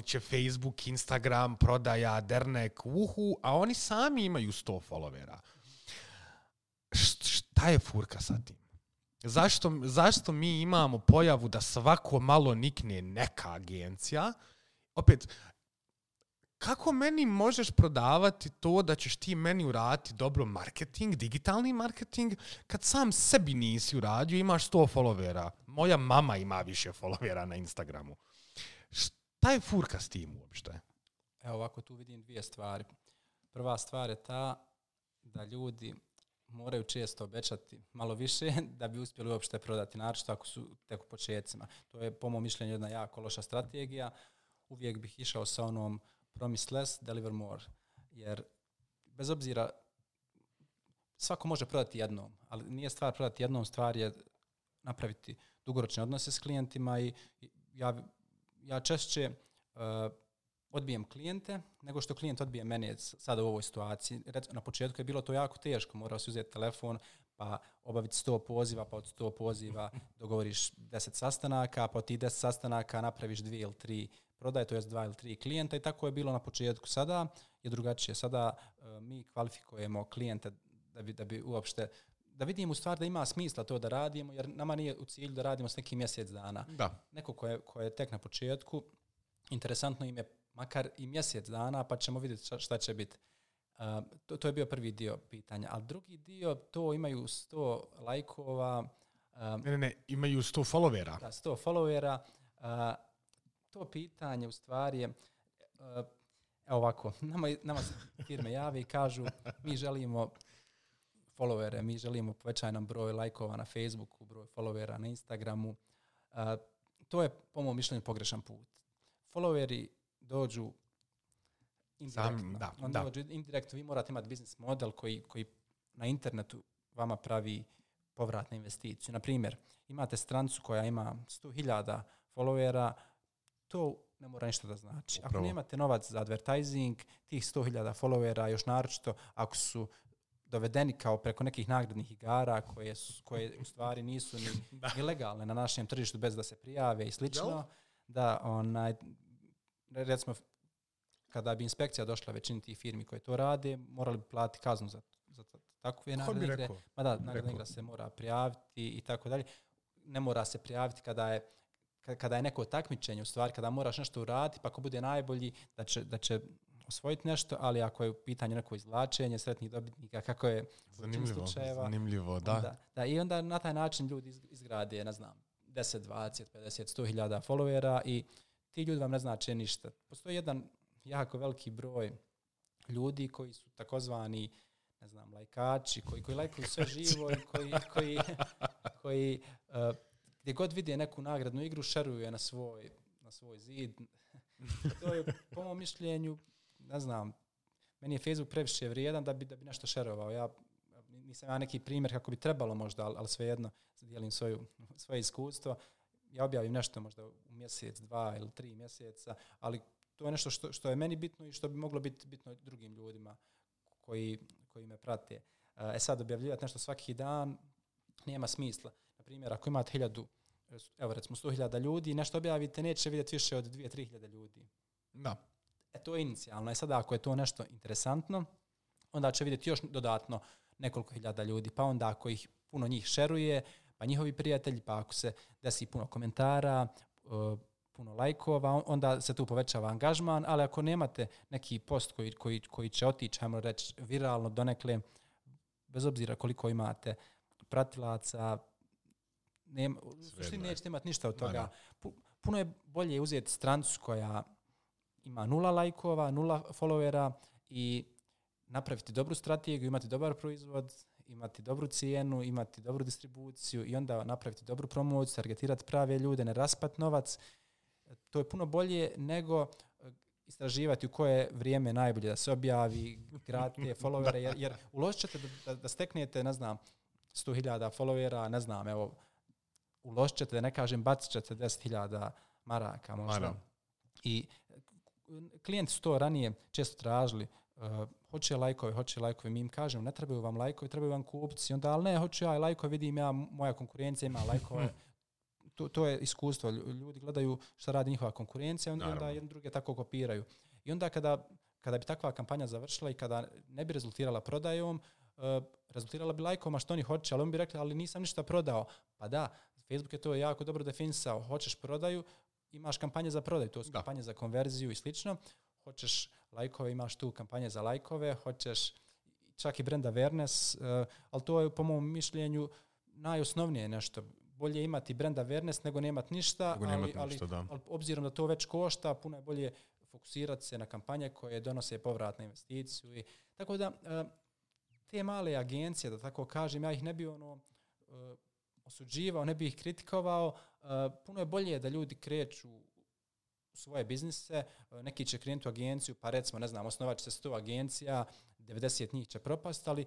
će Facebook, Instagram, prodaja, dernek, a oni sami imaju 100 followera. Šta je furka sa tim? Zašto mi imamo pojavu da svako malo nikne neka agencija? Opet, kako meni možeš prodavati to da ćeš ti meni uraditi dobro marketing, digitalni marketing, kad sam sebi nisi uradio, imaš 100 followera. Moja mama ima više followera na Instagramu. Šta je furka s tim uopšte? Evo ovako, tu vidim dvije stvari. Prva stvar je ta da ljudi moraju često obećati malo više da bi uspjeli uopšte prodati, naročito ako su tek u početcima. To je po mom mišljenju jedna jako loša strategija. Uvijek bih išao sa onom promise less, deliver more. Jer bez obzira, svako može prodati jednom, ali nije stvar prodati jednom, stvar je napraviti dugoročne odnose s klijentima i ja češće odbijem klijente nego što klijent odbije mene sada u ovoj situaciji. Na početku je bilo to jako teško, morao si uzeti telefon pa obaviti 100 poziva, pa od 100 poziva dogovoriš 10 sastanaka, pa od tih 10 sastanaka napraviš 2 ili 3 prodaje, to je 2 ili 3 klijenta i tako je bilo na početku. Sada je drugačije. Sada mi kvalifikujemo klijente da bi uopšte da vidimo u stvari da ima smisla to da radimo, jer nama nije u cilju da radimo s nekim mjesec dana. Da. Neko ko je tek na početku, interesantno im je makar i mjesec dana, pa ćemo vidjeti šta će biti. To je bio prvi dio pitanja. A drugi dio, to imaju 100 lajkova. Ne, imaju 100 followera. Da, 100 followera. To pitanje u stvari je, evo ovako, nama se firme jave i kažu mi želimo followere, mi želimo povećaj nam broj lajkova na Facebooku, broj followera na Instagramu. To je po mom mišljenju pogrešan put. Followeri dođu indirektno. Dođu indirektno. Vi morate imati biznis model koji na internetu vama pravi povratnu investiciju. Na primjer, imate stranicu koja ima 100.000 followera, to ne mora ništa da znači. Ako nemate novac za advertising, tih 100.000 followera, još naročito ako su dovedeni kao preko nekih nagradnih igara koje u stvari nisu ni legalne na našem tržištu bez da se prijave i slično, da recimo kada bi inspekcija došla većini tih firmi koje to rade, morali bi platiti kaznu za takve nagradne igre. Nagradna igra se mora prijaviti i tako dalje. Ne mora se prijaviti kada je neko takmičenje, u stvari kada moraš nešto uraditi, pa ako bude najbolji da će osvojiti nešto, ali ako je u pitanju neko izvlačenje sretnih dobitnika, kako je zanimljivo, da. I onda na taj način ljudi izgrade, ne znam, 10, 20, 50, 100.000 followera i ti ljudi vam ne znače ništa. Postoji jedan jako veliki broj ljudi koji su takozvani, ne znam, lajkači, koji lajkuju sve živo i koji gdje god vide neku nagradnu igru, šeruju je na svoj zid. To je, po mom mišljenju, ne znam, meni je Facebook previše vrijedan da bi nešto šerovao. Nisam neki primjer kako bi trebalo možda, ali svejedno dijelim svoje iskustvo. Ja objavim nešto možda u mjesec, 2 ili 3 mjeseca, ali to je nešto što je meni bitno i što bi moglo biti bitno drugim ljudima koji me prate. Sad objavljivati nešto svaki dan nema smisla. Na primjer, ako imate 100.000 ljudi, nešto objavite, neće vidjeti više od 2-3 hiljade ljudi. Da. To je inicijalno. Sada ako je to nešto interesantno, onda će vidjeti još dodatno nekoliko hiljada ljudi. Pa onda ako ih puno njih šeruje, pa njihovi prijatelji, pa ako se desi puno komentara, puno lajkova, onda se tu povećava angažman, ali ako nemate neki post koji će otići, ajmo reći, viralno donekle, bez obzira koliko imate pratilaca, u suštini nećete imati ništa od toga. Puno je bolje uzeti strancu koja ima 0 lajkova, 0 followera i napraviti dobru strategiju, imati dobar proizvod, imati dobru cijenu, imati dobru distribuciju i onda napraviti dobru promociju, targetirati prave ljude, ne raspati novac. To je puno bolje nego istraživati u koje vrijeme najbolje da se objavi, gradite followere, jer uložit ćete da steknete, ne znam, 100.000 followera, ne znam, evo, uložit ćete, da ne kažem, bacit ćete 10.000 maraka možda. I klijenti su to ranije često tražili, hoće lajkovi, mi im kažemo, ne trebaju vam lajkovi, trebaju vam kupci, onda, ali ne, hoću ja lajkovi, vidim ja, moja konkurencija ima lajkove. To je iskustvo. Ljudi gledaju šta radi njihova konkurencija, onda jedni druge tako kopiraju. I onda kada bi takva kampanja završila i kada ne bi rezultirala prodajom, rezultirala bi lajkovima što oni hoće, ali on bi rekli, ali nisam ništa prodao. Pa da, Facebook je to jako dobro definisao. Hoćeš prodaju, imaš kampanje za prodaju, to su kampanje za konverziju i slično. Hoćeš lajkove, imaš tu kampanje za lajkove, hoćeš čak i brand awareness, ali to je po mom mišljenju najosnovnije nešto. Bolje imati brand awareness nego nemati ništa, ali obzirom da to već košta, puno je bolje fokusirati se na kampanje koje donose povrat na investiciju. Tako da te male agencije, da tako kažem, ja ih ne bi osuđivao, ne bi ih kritikovao. Puno je bolje da ljudi kreću u svoje biznise, neki će krenuti u agenciju, pa recimo, ne znam, osnovat će se 100 agencija, 90 njih će propasti, ali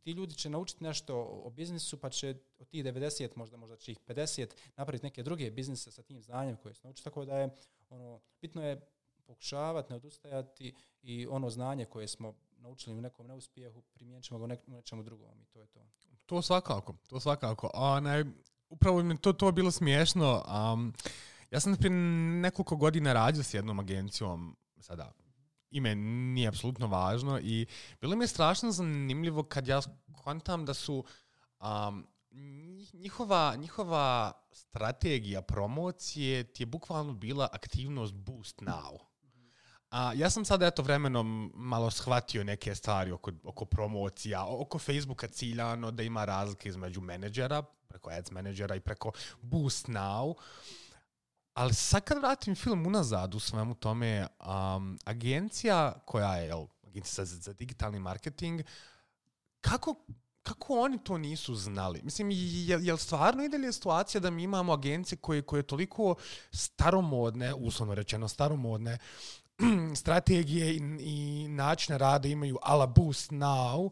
ti ljudi će naučiti nešto o biznisu, pa će od tih 90, možda će ih 50 napraviti neke druge biznise sa tim znanjem koje su naučiti. Tako da je bitno je pokušavati, ne odustajati i ono znanje koje smo naučili u nekom neuspjehu, primijenit ćemo ga u nečemu drugom i to je to. To svakako. Upravo mi to bilo smiješno. Ja sam prije nekoliko godina radio s jednom agencijom, sada ime nije apsolutno važno, i bilo mi je strašno zanimljivo kad ja kontam da su njihova strategija promocije ti je bukvalno bila aktivnost Boost Now. Ja sam sada vremenom malo shvatio neke stvari oko promocija, oko Facebooka ciljano, da ima razlike između menadžera, preko ads menadžera i preko Boost Now. Ali sad kad vratim film unazad u svemu tome, agencija koja je agencija za digitalni marketing, kako oni to nisu znali? Mislim, je li stvarno i dalje situacija da mi imamo agencije koje toliko staromodne, uslovno rečeno staromodne, strategije i načine rada imaju a la Boost Now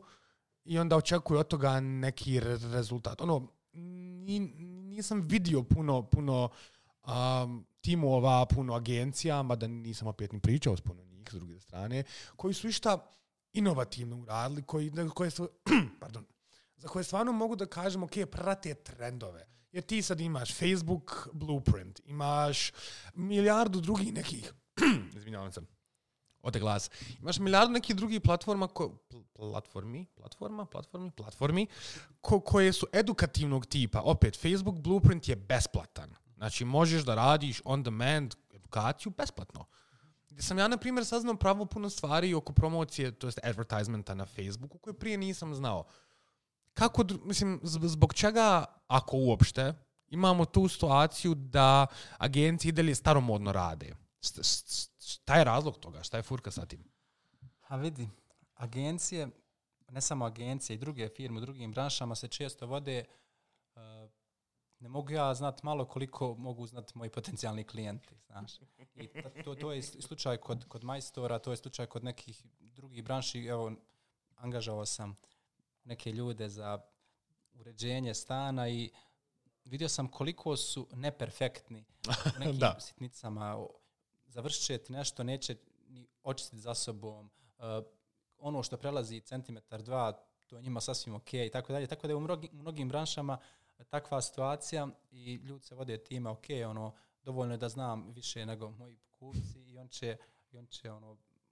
i onda očekuju od toga neki rezultat? Nisam vidio puno timova, puno agencija, mada nisam opet ni pričao s puno njih s druge strane, koji su išta inovativno uradili, za koje stvarno mogu da kažem, ok, prate trendove. Jer ti sad imaš Facebook Blueprint, imaš milijardu drugih nekih, izvinjavam se, ode glas, imaš milijardu nekih drugih platformi koje su edukativnog tipa. Opet, Facebook Blueprint je besplatan. Znači, možeš da radiš on demand edukaciju besplatno. Gdje sam ja, na primjer, saznao pravo puno stvari oko promocije, to jest advertisementa na Facebooku, koje prije nisam znao. Zbog čega, ako uopšte, imamo tu situaciju da agencije i dalje staromodno rade? Šta je razlog toga? Šta je furka sa tim? A vidi, agencije, ne samo agencije i druge firme u drugim branšama se često vode, ne mogu ja znati malo koliko mogu znati moji potencijalni klijenti, znaš. I to je slučaj kod majstora, to je slučaj kod nekih drugih branši. Evo, angažovao sam neke ljude za uređenje stana i vidio sam koliko su neperfektni u nekim sitnicama. Završit će ti nešto, neće ni očistiti za sobom. Ono što prelazi centimetar, 2, to je njima sasvim ok i tako dalje. Tako da je u mnogim branšama takva situacija i ljudi se vode time, ok, dovoljno je da znam više nego moji kupci i on će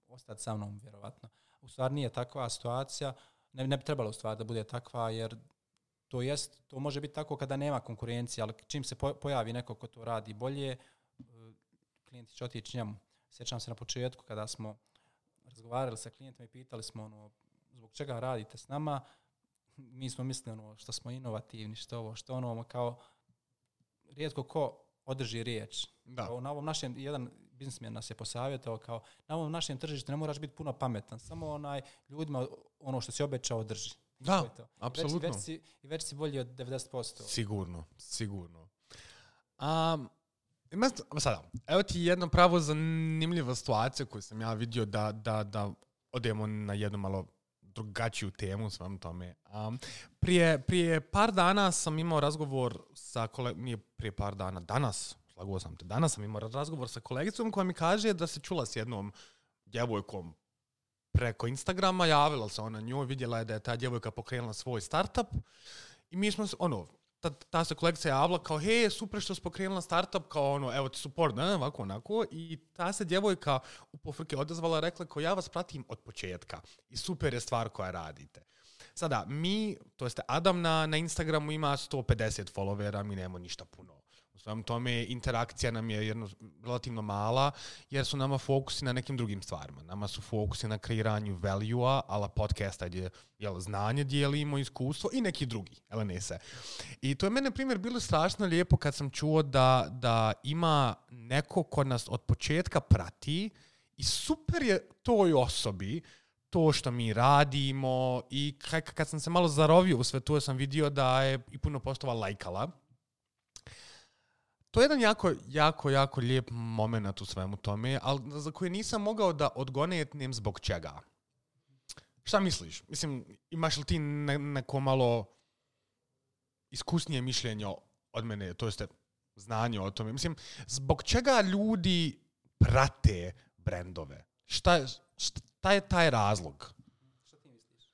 ostati sa mnom, vjerovatno. U stvari nije takva situacija, ne bi trebalo u stvari da bude takva, jer to može biti tako kada nema konkurencije, ali čim se pojavi neko ko to radi bolje, klijenti će otići njemu. Sjećam se na početku kada smo razgovarali sa klijentima i pitali smo zbog čega radite s nama. Mi smo mislili što smo inovativni, što kao rijetko ko održi riječ. Da. Na ovom našem, jedan biznismen nas je posavjetovao kao, na ovom našem tržištu ne moraš biti puno pametan, samo ljudima ono što si obećao drži. Da, apsolutno. I već si bolji od 90%. Sigurno. Sada, evo ti jedna pravo zanimljiva situacija koju sam ja vidio da odemo na jednu malo drugačiju temu svom tome. Prije par dana sam imao razgovor sa nije prije par dana, danas sam imao razgovor sa kolegicom koja mi kaže da se čula s jednom djevojkom preko Instagrama, javila se ona njoj, vidjela je da je ta djevojka pokrenula svoj startup i mi smo, ta se kolegica javila kao, hej, super što si pokrenula startup, kao evo ti support, ovako, onako, i ta se djevojka u pofrke odazvala, rekla kao, ja vas pratim od početka i super je stvar koja radite. Sada, to jeste Adam na Instagramu ima 150 followera, mi nemamo ništa puno. U svojom tome interakcija nam je relativno mala, jer su nama fokusi na nekim drugim stvarima. Nama su fokusi na kreiranju value-a, ala podcasta gdje znanje dijelimo, iskustvo i neki drugi, LNS-e. I to je mene, primjer, bilo strašno lijepo kad sam čuo da ima neko ko nas od početka prati i super je toj osobi to što mi radimo i kad sam se malo zarovio u sve to, sam vidio da je i puno postova lajkala. To je jedan jako lijep moment u svemu tome, ali za koje nisam mogao da odgonetnem zbog čega. Šta misliš? Mislim, imaš li ti neko malo iskusnije mišljenje od mene, to jeste znanje o tome? Mislim, zbog čega ljudi prate brendove? Šta je taj razlog? Šta ti misliš?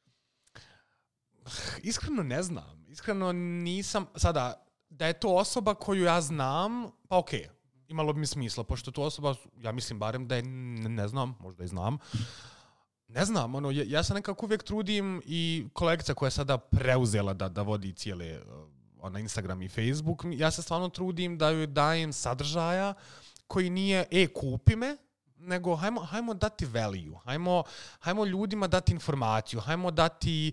Iskreno ne znam. Iskreno nisam... Sada, da je to osoba koju ja znam, pa okej, imalo bi mi smisla, pošto to osoba, ja mislim barem da je ne znam, možda i znam. Ne znam, ja se nekako uvijek trudim i kolegica koja je sada preuzela da vodi cijele Instagram i Facebook, ja se stvarno trudim da joj dajem sadržaja koji nije kupi me, nego hajmo dati value, hajmo ljudima dati informaciju, hajmo dati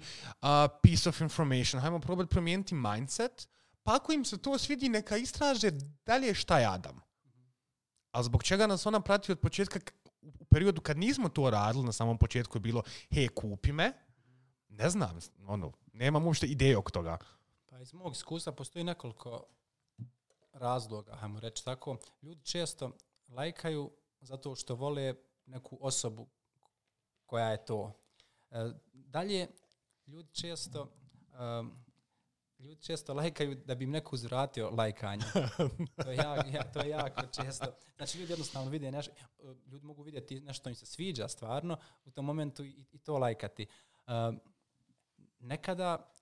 piece of information, hajmo probati promijeniti mindset, pa ako im se to svidi, neka istraže dalje šta je Adam. A zbog čega nas ona prati od početka, u periodu kad nismo to radili, na samom početku je bilo, hej, kupi me, ne znam, nemam uopšte ideje oko toga. Pa iz mog iskustva postoji nekoliko razloga, hajmo reći tako. Ljudi često lajkaju zato što vole neku osobu koja je to. Dalje, ljudi često lajkaju da bi im neko uzvratio lajkanje. To je jako često. Znači, ljudi jednostavno vide nešto, ljudi mogu vidjeti nešto im se sviđa stvarno, u tom momentu i to lajkati. Nekada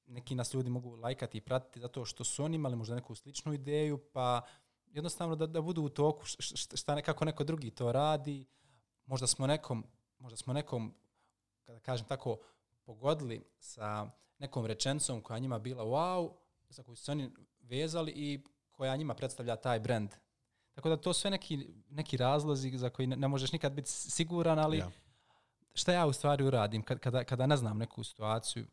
neki nas ljudi mogu lajkati i pratiti zato što su oni imali možda neku sličnu ideju, pa jednostavno da budu u toku kako neko drugi to radi. Možda smo nekom, kada kažem tako, pogodili sa nekom rečenicom koja njima bila wow, za koju su oni vezali i koja njima predstavlja taj brand. Tako da to sve neki razlozi za koji ne možeš nikad biti siguran, ali šta ja u stvari uradim kada ne znam neku situaciju,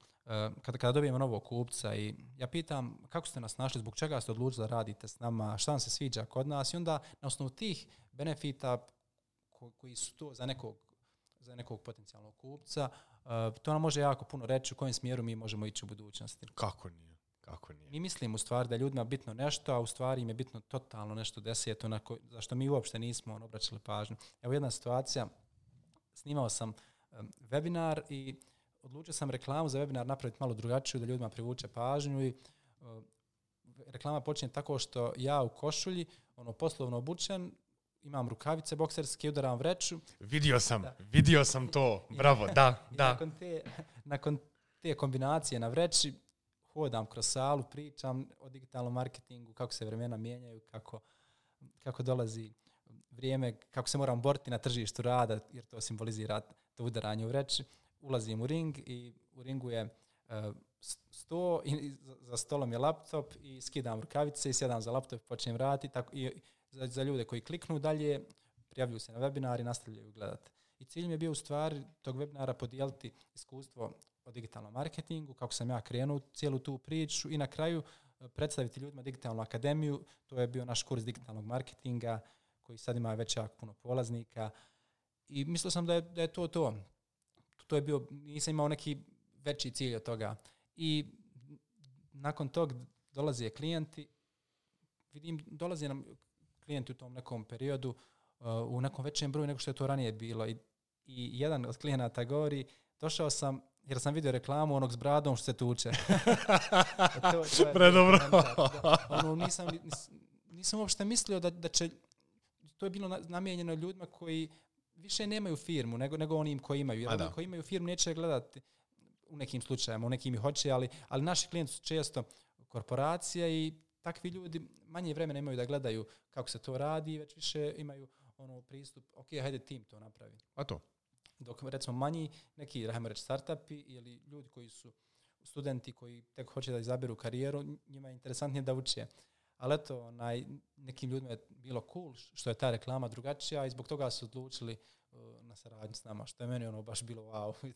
kada dobijem novog kupca i ja pitam kako ste nas našli, zbog čega ste odlučili da radite s nama, šta vam se sviđa kod nas i onda na osnovu tih benefita koji su to za nekog potencijalnog kupca, to nam može jako puno reći u kojem smjeru mi možemo ići u budućnosti. Kako nije? Mi mislim u stvari da je ljudima bitno nešto, a u stvari im je bitno totalno nešto deseto za što mi uopšte nismo obraćali pažnju. Evo jedna situacija, snimao sam webinar i odlučio sam reklamu za webinar napraviti malo drugačiju da ljudima privuče pažnju i reklama počinje tako što ja u košulji, poslovno obučen, imam rukavice bokserske, udaram vreću. Vidio sam to, bravo, da. Nakon te kombinacije na vreći, hodam kroz salu, pričam o digitalnom marketingu, kako se vremena mijenjaju, kako dolazi vrijeme, kako se moram boriti na tržištu rada, jer to simbolizira to udaranje u vreći. Ulazim u ring i u ringu je sto i za stolom je laptop i skidam rukavice i sjedam za laptop i počnem raditi. I za ljude koji kliknu dalje, prijavljuju se na webinar i nastavljaju gledati. I cilj mi je bio u stvari tog webinara podijeliti iskustvo o digitalnom marketingu, kako sam ja krenuo cijelu tu priču i na kraju predstaviti ljudima digitalnu akademiju. To je bio naš kurs digitalnog marketinga koji sad ima već jako puno polaznika i mislio sam da je to. To je bio, nisam imao neki veći cilj od toga. I nakon tog dolaze klijenti, vidim, dolaze nam klijenti u tom nekom periodu u nekom većem broju nego što je to ranije bilo. I jedan od klijenata govori, došao sam jer sam vidio reklamu onog s bradom što se tuče. Predobro. Nisam uopšte mislio da će, to je bilo namijenjeno ljudima koji više nemaju firmu nego onim koji imaju. Jer oni koji imaju firmu neće gledati u nekim slučajima, u nekim i hoće, ali naši klijenti su često korporacija i takvi ljudi manje vremena imaju da gledaju kako se to radi, već više imaju pristup, ok, hajde tim to napravi. A to? Dok recimo manji, neki, hajmo reći, startupi ili ljudi koji su studenti koji tek hoće da izaberu karijeru, njima je interesantnije da uče. Ali eto, nekim ljudima je bilo cool što je ta reklama drugačija i zbog toga su odlučili na saradnju s nama, što je meni baš bilo wow.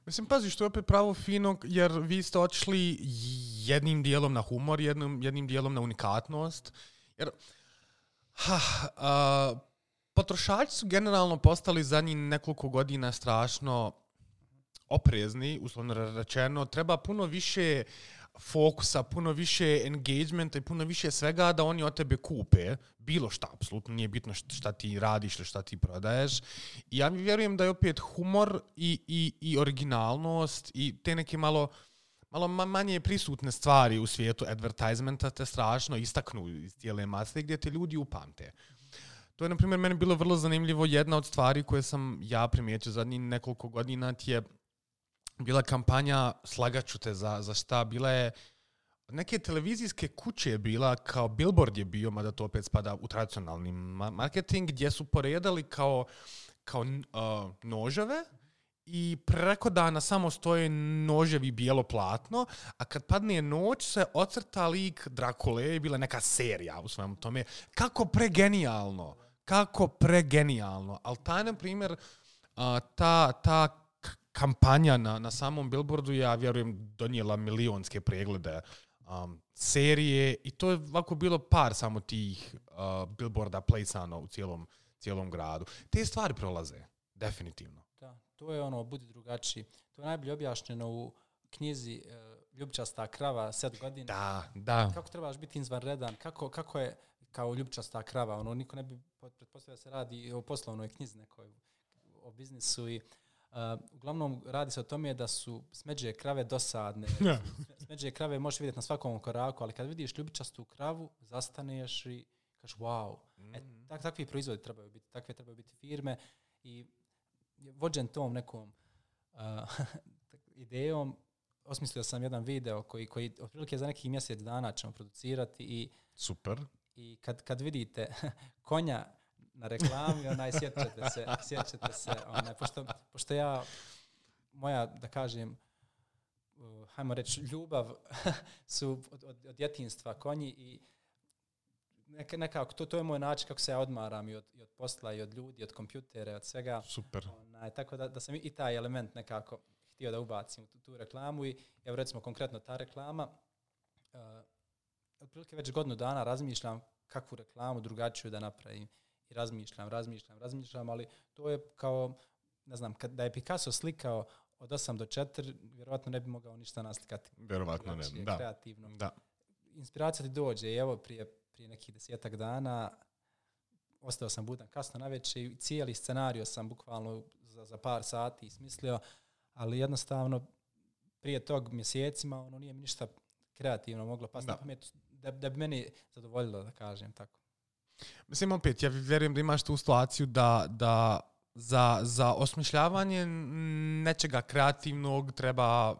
Mislim, pazi, što je opet pravo fino, jer vi ste otišli jednim dijelom na humor, jednim dijelom na unikatnost. Jer potrošači su generalno postali zadnjih nekoliko godina strašno oprezni, uslovno rečeno. Treba puno više fokusa, puno više engagementa i puno više svega da oni od tebe kupe. Bilo šta, apsolutno nije bitno šta ti radiš ili šta ti prodaješ. I ja vjerujem da je opet humor i originalnost i te neke malo manje prisutne stvari u svijetu advertisementa te strašno istaknu iz cijele mase gdje te ljudi upamte. To je, na primjer, meni bilo vrlo zanimljivo. Jedna od stvari koje sam ja primijetio zadnjih nekoliko godina je bila kampanja, slagaću te za šta, bila je neke televizijske kuće je bila, kao billboard je bio, mada to opet spada u tradicionalni marketing, gdje su poredali kao noževe i preko dana samo stoje noževi bijelo platno, a kad padne noć se ocrta lik Drakule i bila neka serija u svemu tome. Kako pregenijalno. Ali taj, na primjer, ta kampanja na samom billboardu, ja vjerujem, donijela milionske preglede serije i to je ovako bilo par samo tih billboarda placano u cijelom gradu. Te stvari prolaze, definitivno. Da, to je budi drugačiji. To je najbolje objašnjeno u knjizi Ljubičasta krava, 7 godina. Da. Kako trebaš biti izvanredan, kako je kao ljubičasta krava, niko ne bi pretpostavio da se radi o poslovnoj knjizi nekoj, o biznisu i uglavnom radi se o tome da su smeđe krave dosadne. Smeđe krave možeš vidjeti na svakom koraku, ali kad vidiš ljubičastu kravu, zastaneš i kažeš wow. Takvi proizvodi trebaju biti, takve trebaju biti firme i vođen tom nekom idejom, osmislio sam jedan video koji otprilike za nekih mjesec dana ćemo producirati i super. I kad vidite konja na reklami, sjećate se, pošto ja, moja, da kažem, hajmo reći, ljubav su od djetinjstva konji i nekako, to je moj način kako se ja odmaram i od posla, i od ljudi, od kompjutera, od svega. Super. Tako da sam i taj element nekako htio da ubacim u tu reklamu i evo recimo konkretno ta reklama, otprilike već godinu dana razmišljam kakvu reklamu drugačiju da napravim. I razmišljam, ali to je kao, ne znam, da je Picasso slikao od 8 do 4, vjerovatno ne bi mogao ništa naslikati. Vjerovatno ne, da. Kreativno. Da. Inspiracija ti dođe i evo prije nekih 10 dana ostao sam budan kasno navečer i cijeli scenario sam bukvalno za par sati smislio, ali jednostavno prije tog mjesecima nije mi ništa kreativno moglo pasti na pamet da bi meni zadovoljilo, da kažem tako. Mislim, opet, ja vjerujem da imaš tu situaciju da za osmišljavanje nečega kreativnog treba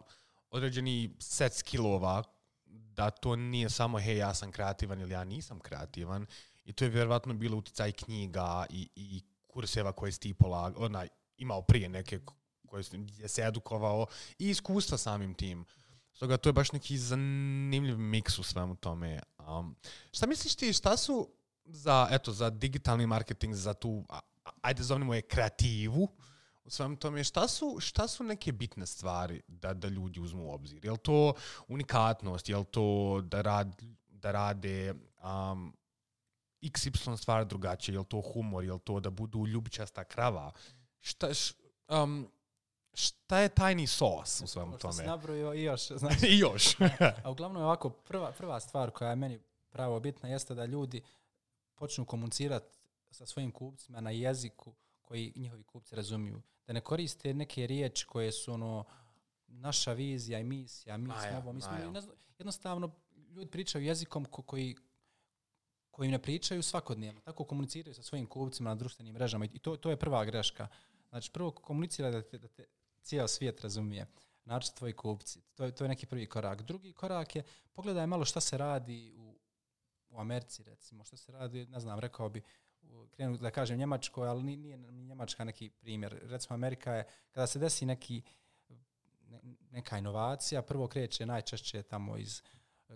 određeni set skillova, da to nije samo hej, ja sam kreativan ili ja nisam kreativan. I to je vjerovatno bilo utjecaj knjiga i kurseva koje si ti imao prije neke koje je se edukovao i iskustva samim tim. Stoga to je baš neki zanimljiv miks u svemu tome. Šta misliš ti, šta su za digitalni marketing, za tu, ajde zovnimo je kreativu, u svem tome, šta su neke bitne stvari da ljudi uzmu u obzir? Je li to unikatnost? Je li to da rade XY stvari drugačije? Je li to humor? Je li to da budu ljubičasta krava? Šta je tajni sos u svemu tome? Što si nabrojio i još. Znači, I još. A uglavnom je ovako, prva stvar koja je meni pravo bitna jeste da ljudi počnu komunicirati sa svojim kupcima na jeziku koji njihovi kupci razumiju. Da ne koriste neke riječi koje su naša vizija i misija, jednostavno ljudi pričaju jezikom koji ne pričaju svakodnevno. Tako komuniciraju sa svojim kupcima na društvenim mrežama i to je prva greška. Znači prvo komunicira da te cijel svijet razumije. Znači tvoji kupci. To je neki prvi korak. Drugi korak je pogledaj malo šta se radi u Americi, recimo. Šta se radi, ne znam, rekao bi, krenu da kažem Njemačkoj, ali nije Njemačka neki primjer. Recimo Amerika je, kada se desi neka inovacija, prvo kreće najčešće tamo iz,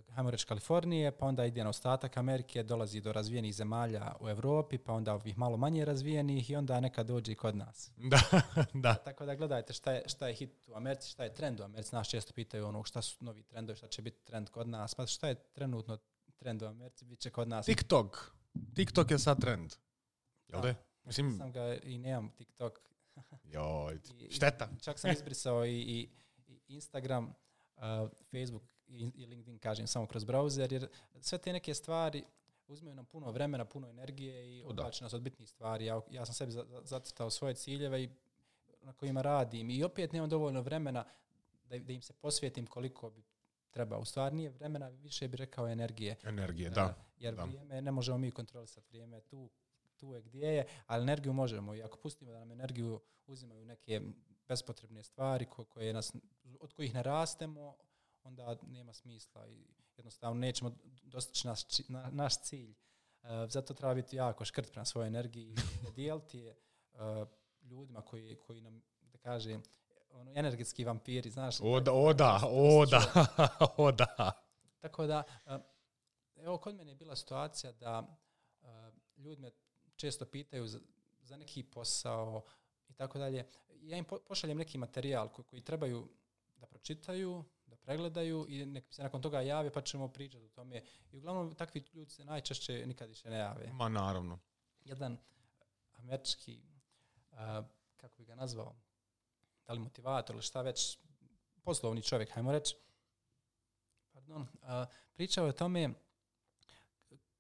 hajmo reći, Kalifornije, pa onda ide na ostatak Amerike, dolazi do razvijenih zemalja u Europi, pa onda ovih malo manje razvijenih i onda nekad dođe i kod nas. Da. Tako da gledajte šta je hit u Americi, šta je trend u Americi. Nas često pitaju šta su novi trendovi, šta će biti trend kod nas. Pa šta je trenutno trend u Americi, bit će kod nas. TikTok je sad trend. Jel da? Mislim, sam ga i nemam TikTok. Joj, šteta. Čak sam izbrisao i Instagram, Facebook i LinkedIn, kažem, samo kroz browser, jer sve te neke stvari uzmeju nam puno vremena, puno energije i odbače nas od bitnih stvari. Ja sam sebi zacrtao svoje ciljeve i na kojima radim i opet nemam dovoljno vremena da im se posvetim koliko bi treba. U stvari nije vremena, više bih rekao energije. Da. Jer vrijeme ne možemo mi kontrolisati, vrijeme tu je gdje je, ali energiju možemo. I ako pustimo da nam energiju uzimaju neke bespotrebne stvari od kojih ne rastemo, onda nema smisla i jednostavno nećemo dostići naš cilj. Zato treba biti jako škrt prema svojoj energiji i ne dijeliti je ljudima koji nam, da kažem, energetski vampiri, znaš. O da. Tako da, evo kod mene je bila situacija da ljudi me često pitaju za neki posao i tako dalje. Ja im pošaljem neki materijal koji trebaju da pročitaju, da pregledaju i nek se nakon toga jave pa ćemo pričati o tome. I uglavnom takvi ljudi se najčešće nikad više ne jave. Ma naravno. Jedan američki, kako bi ga nazvao, da li motivator ili šta već, poslovni čovjek, hajmo reći, pričao je o tome,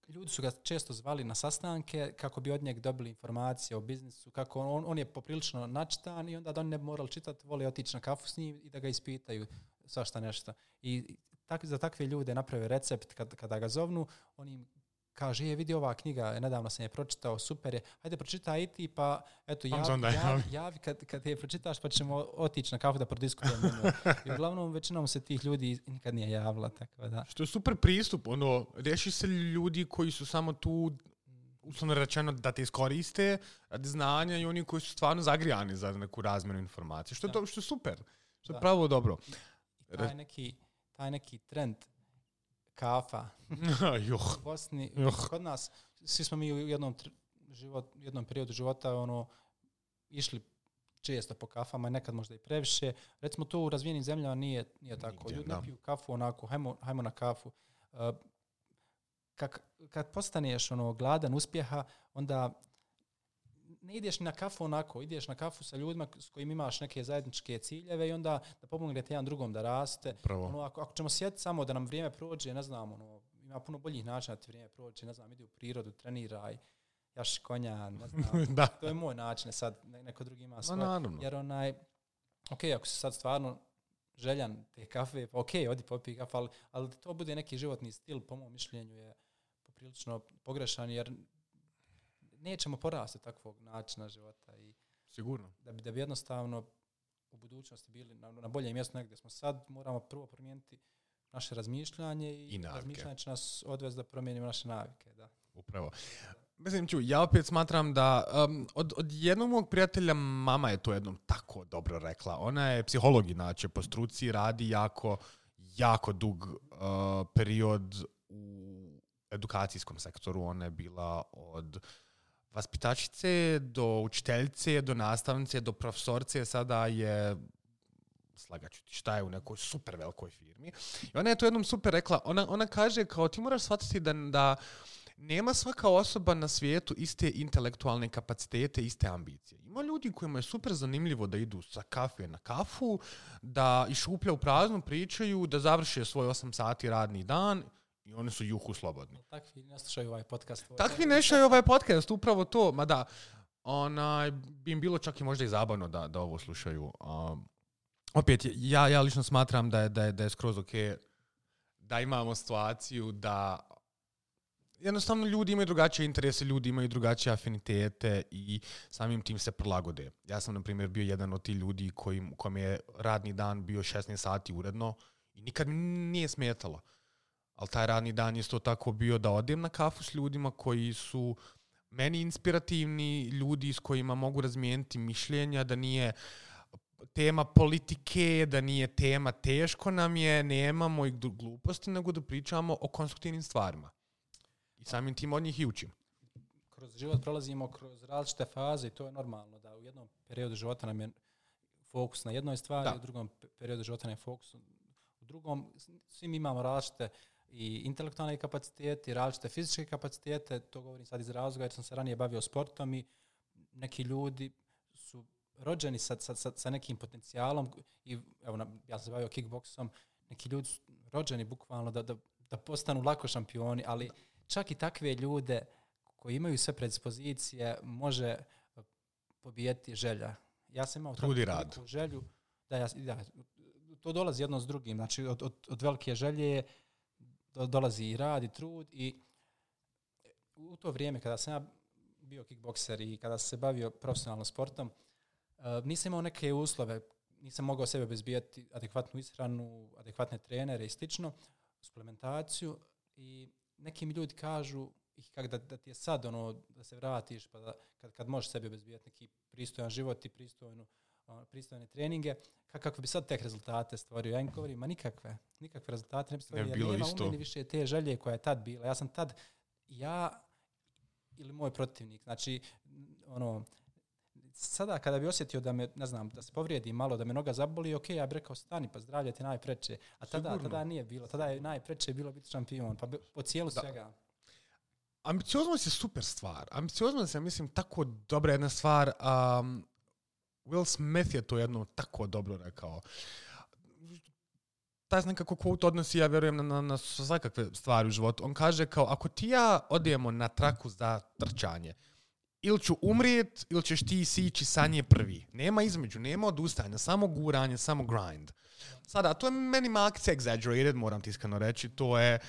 ljudi su ga često zvali na sastanke kako bi od njega dobili informacije o biznisu, kako on je poprilično načitan i onda da oni ne bi morali čitati, vole otići na kafu s njim i da ga ispitaju svašta nešto. I za takve ljude naprave recept kada ga zovnu, on im kaže, vidi ova knjiga, nedavno sam je pročitao, super je, hajde pročitaj i ti, pa eto, javi kad je pročitaš, pa ćemo otići na kafu da prodiskutujemo. I uglavnom, većinom se tih ljudi nikad nije javila. Tako da. Što je super pristup, riješi se ljudi koji su samo tu, uslovno rečeno, da te iskoriste radi znanja i oni koji su stvarno zagrijani za neku razmjenu informacije, što je super, što je pravo dobro. I taj neki trend kafa u Bosni, kod nas, svi smo mi u jednom periodu života išli često po kafama, nekad možda i previše. Recimo to u razvijenim zemljama nije tako. Ljudi ne piju kafu onako, hajmo na kafu. Kad postaneš gladan uspjeha, onda ne ideš na kafu onako, ideš na kafu sa ljudima s kojim imaš neke zajedničke ciljeve i onda da pomognete jedan drugom da raste. Ako ćemo sjetiti samo da nam vrijeme prođe, ne znam, ima puno boljih načina da ti vrijeme prođe, ne znam, idi u prirodu, treniraj, jaši konja, ne znam. To je moj način, sad neko drugi ima svoj. Jer ako si sad stvarno željan te kafe, odi popij kafu, ali da to bude neki životni stil, po mom mišljenju je poprilično pogrešan, jer nećemo porasti takvog načina života i sigurno. Da bi jednostavno u budućnosti bili na boljem mjestu negdje smo sad, moramo prvo promijeniti naše razmišljanje i razmišljanje će nas odvesti da promijenimo naše navike. Da. Upravo. Mislim, ja opet smatram da od jednog mog prijatelja mama je to jednom tako dobro rekla. Ona je psiholog, inače po struci, radi jako dug period u edukacijskom sektoru. Ona je bila od vaspitačice, do učiteljice, do nastavnice, do profesorce, sada je, slagaću ti, šta je u nekoj super velikoj firmi. I ona je to jednom super rekla, ona kaže kao ti moraš shvatiti da nema svaka osoba na svijetu iste intelektualne kapacitete, iste ambicije. Ima ljudi kojima je super zanimljivo da idu sa kafe na kafu, da iz šuplja u praznu pričaju, da završe svoj 8 sati radni dan i oni su juhu slobodni. Takvi ne slušaju ovaj podcast. Takvi ne slušaju ovaj podcast, upravo to. Ma da, bi im bilo čak i možda i zabavno da ovo slušaju. Opet, ja lično smatram da je skroz ok da imamo situaciju da jednostavno ljudi imaju drugačije interese, ljudi imaju drugačije afinitete i samim tim se prilagode. Ja sam, na primjer, bio jedan od tih ljudi kojem je radni dan bio 16 sati uredno i nikad mi nije smetalo. Ali taj radni dan je isto tako bio da odem na kafu s ljudima koji su meni inspirativni, ljudi s kojima mogu razmijeniti mišljenja, da nije tema politike, da nije tema teško nam je, nemamo i gluposti, nego da pričamo o konstruktivnim stvarima. I samim tim od njih i učim. Kroz život prolazimo kroz različite faze i to je normalno da u jednom periodu života nam je fokus na jednoj stvari, u drugom periodu života nam je fokus u drugom. Svi mi imamo različite i intelektualne kapacitete i različite fizičke kapacitete. To govorim sad iz razloga jer sam se ranije bavio sportom i neki ljudi su rođeni sa nekim potencijalom i evo, ja sam se bavio kickboksom, neki ljudi su rođeni bukvalno da postanu lako šampioni, ali čak i takve ljude koji imaju sve predispozicije može pobijeti želja. Ja sam imao takvu želju da to dolazi jedno s drugim. Znači od velike želje dolazi i rad i trud i u to vrijeme kada sam ja bio kickbokser i kada sam se bavio profesionalno sportom, nisam imao neke uslove, nisam mogao sebe obezbijeti adekvatnu ishranu, adekvatne trenere i slično, suplementaciju i neki mi ljudi kažu da ti je sad da se vratiš pa da, kad možeš sebi obezbijeti neki pristojan život i pristojne treninge, kako bi sad tek rezultate stvorio. Ja im govorim, ma nikakve rezultate ne bi stvorio, jer nema u meni više te želje koja je tad bila. Ja sam tad, ja ili moj protivnik, znači sada kada bi osjetio da me, ne znam, da se povrijedi malo, da me noga zaboli, ok, ja bih rekao stani, pa zdravlje ti najpreče. A tada nije bilo, tada je najpreče bilo biti šampion, pa po cijelu svega. Ambicioznost je super stvar. Ambicioznost je, mislim, tako dobra jedna stvar. Will Smith je to jedno tako dobro rekao. Taj nekako quote odnosi, ja vjerujem, na svakakve stvari u životu. On kaže kao, ako ti ja odemo na traku za trčanje, ili ću umrijet, ili ćeš ti sići sa nje prvi. Nema između, nema odustajanja, samo guranje, samo grind. Sada, to je meni malkice exaggerated, moram ti iskreno reći. To je,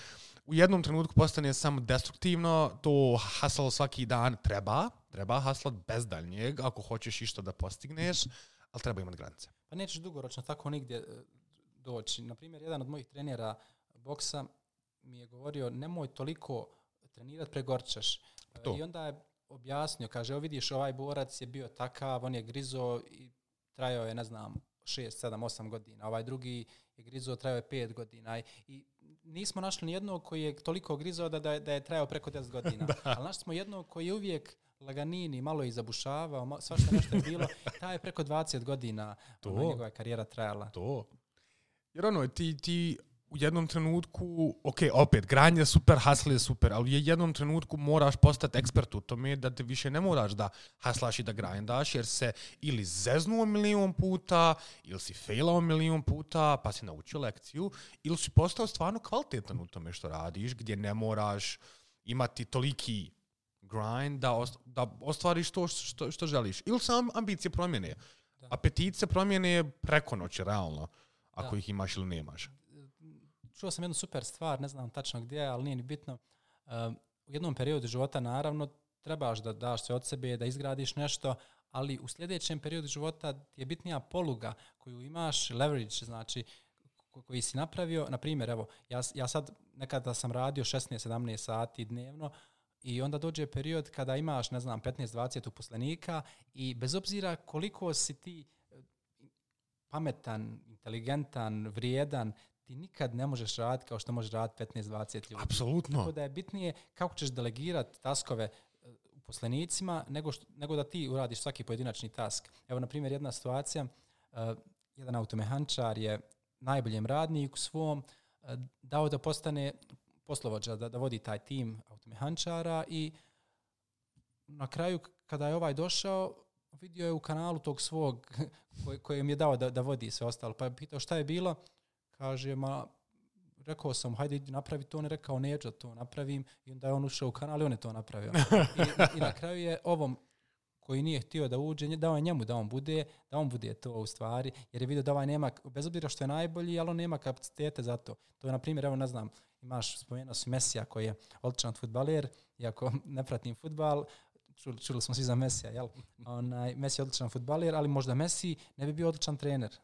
u jednom trenutku postane samo destruktivno, to hustle svaki dan treba hustlat bez daljnjeg, ako hoćeš išta da postigneš, ali treba imati granice. Pa nećeš dugoročno tako nigdje doći. Naprimjer, jedan od mojih trenera boksa mi je govorio, nemoj toliko trenirati, pregorčaš. I onda je objasnio, kaže, vidiš, ovaj borac je bio takav, on je grizo i trajao je, ne znam, 6, 7, 8 godina. Ovaj drugi je grizo, trajao je 5 godina. I nismo našli ni jednog koji je toliko grizo da je trajao preko 10 godina. Ali našli smo jednog koji je uvijek laganini, malo i zabušavao, svašta nešto je bilo. Taj je preko 20 godina njegova karijera trajala. Jer ti u jednom trenutku, opet, granje je super, hustle je super, ali u jednom trenutku moraš postati ekspert u tome da te više ne moraš da haslaš i da grindaš, jer se ili zeznuo 1.000.000 puta, ili si failao 1.000.000 puta, pa si naučio lekciju, ili si postao stvarno kvalitetan u tome što radiš, gdje ne moraš imati toliki grind da ostvariš to što želiš. Ili sam ambicije promjene. Apetit se promjene preko noći, realno, ako ih imaš ili nemaš. Čuo sam jednu super stvar, ne znam tačno gdje, ali nije ni bitno. U jednom periodu života, naravno, trebaš da daš sve od sebe, da izgradiš nešto, ali u sljedećem periodu života ti je bitnija poluga koju imaš, leverage, znači, koji si napravio. Na primjer, evo, ja sad nekada sam radio 16-17 sati dnevno i onda dođe period kada imaš, ne znam, 15-20 uposlenika i bez obzira koliko si ti pametan, inteligentan, vrijedan, ti nikad ne možeš raditi kao što možeš raditi 15-20 ljudi. Apsolutno. Tako da je bitnije kako ćeš delegirati taskove uposlenicima nego da ti uradiš svaki pojedinačni task. Evo, na primjer, jedna situacija, jedan automehančar je najboljem radniku svom dao da postane poslovođa, da vodi taj tim automehančara i na kraju kada je ovaj došao, vidio je u kanalu tog svog kojem je dao da vodi sve ostalo. Pa je pitao šta je bilo, kaže, rekao sam, hajde idi napravi to, on je rekao, neću da to napravim, i onda je on ušao u kanal i on je to napravio. I na kraju je ovom koji nije htio da uđe, dao je njemu da on bude to u stvari, jer je vidio da ovaj nema, bez obzira što je najbolji, ali on nema kapacitete za to. To je, na primjer, evo, ne znam, spomenuo si Mesija koji je odličan fudbaler, iako ne pratim fudbal, čuli smo svi za Mesija, jel? Messi je odličan fudbaler, ali možda Messi ne bi bio odličan trener.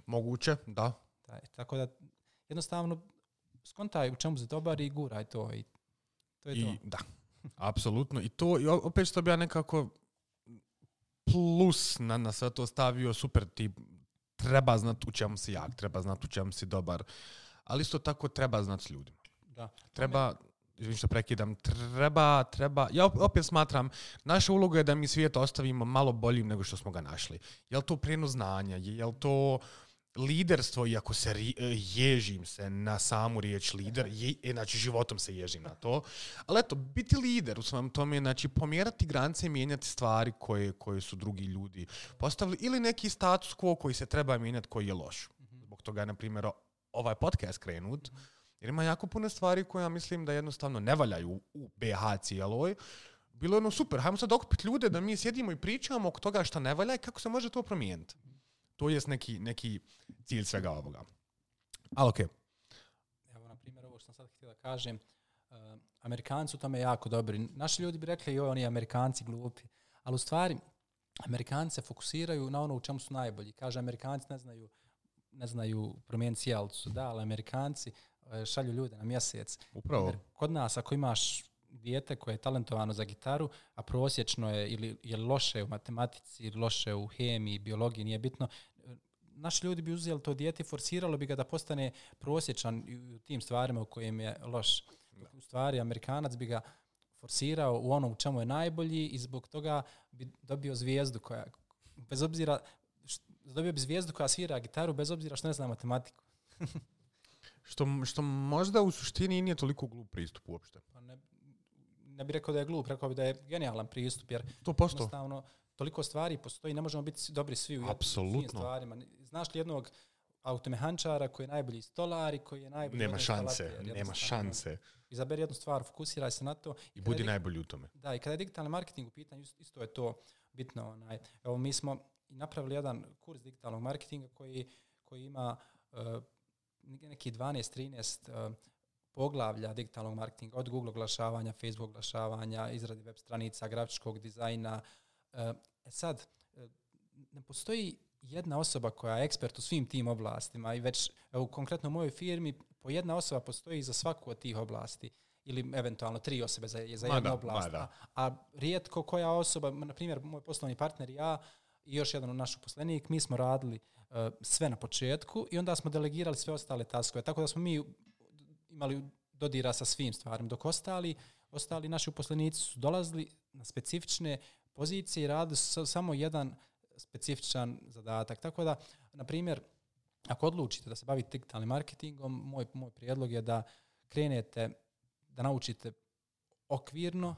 Moguće, da. Tako da, jednostavno, skontaj u čemu se dobar i guraj to. I to je to. Da, apsolutno. I to, i opet što bi ja nekako plus na sve to stavio, super, ti treba znati u čemu si jak, treba znati u čemu si dobar, ali isto tako treba znati s ljudima. Da. Treba, što prekidam, treba, ja opet smatram, naša uloga je da mi svijet ostavimo malo boljim nego što smo ga našli. Je li to prijenos znanja, je li to liderstvo, iako se ježim se na samu riječ lider, znači životom se ježim na to, ali eto, biti lider u svom tome, znači pomjerati granice i mijenjati stvari koje su drugi ljudi postavili, ili neki status quo koji se treba mijenjati, koji je loš. Zbog toga je, na primjer, ovaj podcast krenut, jer ima jako puno stvari koje ja mislim da jednostavno ne valjaju u BH cijeloj. Bilo je ono super, hajmo sad okupiti ljude da mi sjedimo i pričamo oko toga što ne valja i kako se može to promijeniti. To je neki cilj svega ovoga. Ali okej. Evo, na primjer, ovo što sam sad htio da kažem, Amerikanci u tome jako dobri. Naši ljudi bi rekli, oni Amerikanci glupi. Ali u stvari, Amerikanci se fokusiraju na ono u čemu su najbolji. Kaže, Amerikanci ne znaju promijeniti sjelcu. Da, ali Amerikanci šalju ljude na mjesec. Upravo. Jer kod nas, ako imaš dijete koje je talentovano za gitaru, a prosječno je ili je loše u matematici, ili loše u hemiji, biologiji, nije bitno, naši ljudi bi uzeli to dijete i forsiralo bi ga da postane prosječan u tim stvarima u kojim je loš. U stvari, Amerikanac bi ga forsirao u onom u čemu je najbolji i zbog toga bi dobio zvijezdu koja, bez obzira, dobio bi zvijezdu koja svira gitaru bez obzira što ne zna matematiku. Što možda u suštini nije toliko glup pristup uopšte. Pa ne bih rekao da je glup, rekao bih da je genijalan pristup, jer 100%. Jednostavno toliko stvari postoji, ne možemo biti dobri svi u svim stvarima. Znaš li jednog automehančara koji je najbolji stolar i koji je najbolji... Nema šanse. Izaberi jednu stvar, fokusiraj se na to. I budi najbolji u tome. Da, i kada je digitalni marketing u pitanju, isto je to bitno. Evo, mi smo napravili jedan kurs digitalnog marketinga koji ima neki 12-13 poglavlja digitalnog marketinga, od Google oglašavanja, Facebook oglašavanja, izradi web stranica, grafičkog dizajna. Sad, ne postoji jedna osoba koja je ekspert u svim tim oblastima i već konkretno u mojoj firmi po jedna osoba postoji za svaku od tih oblasti ili eventualno 3 osobe za jednu oblast. A rijetko koja osoba, na primjer moj poslovni partner i ja i još jedan naš uposlenik, mi smo radili sve na početku i onda smo delegirali sve ostale taskove. Tako da smo mi imali dodira sa svim stvarima, dok ostali naši uposlenici su dolazili na specifične pozicije i radili samo jedan specifičan zadatak. Tako da, na primjer, ako odlučite da se bavite digitalnim marketingom, moj prijedlog je da krenete, da naučite okvirno,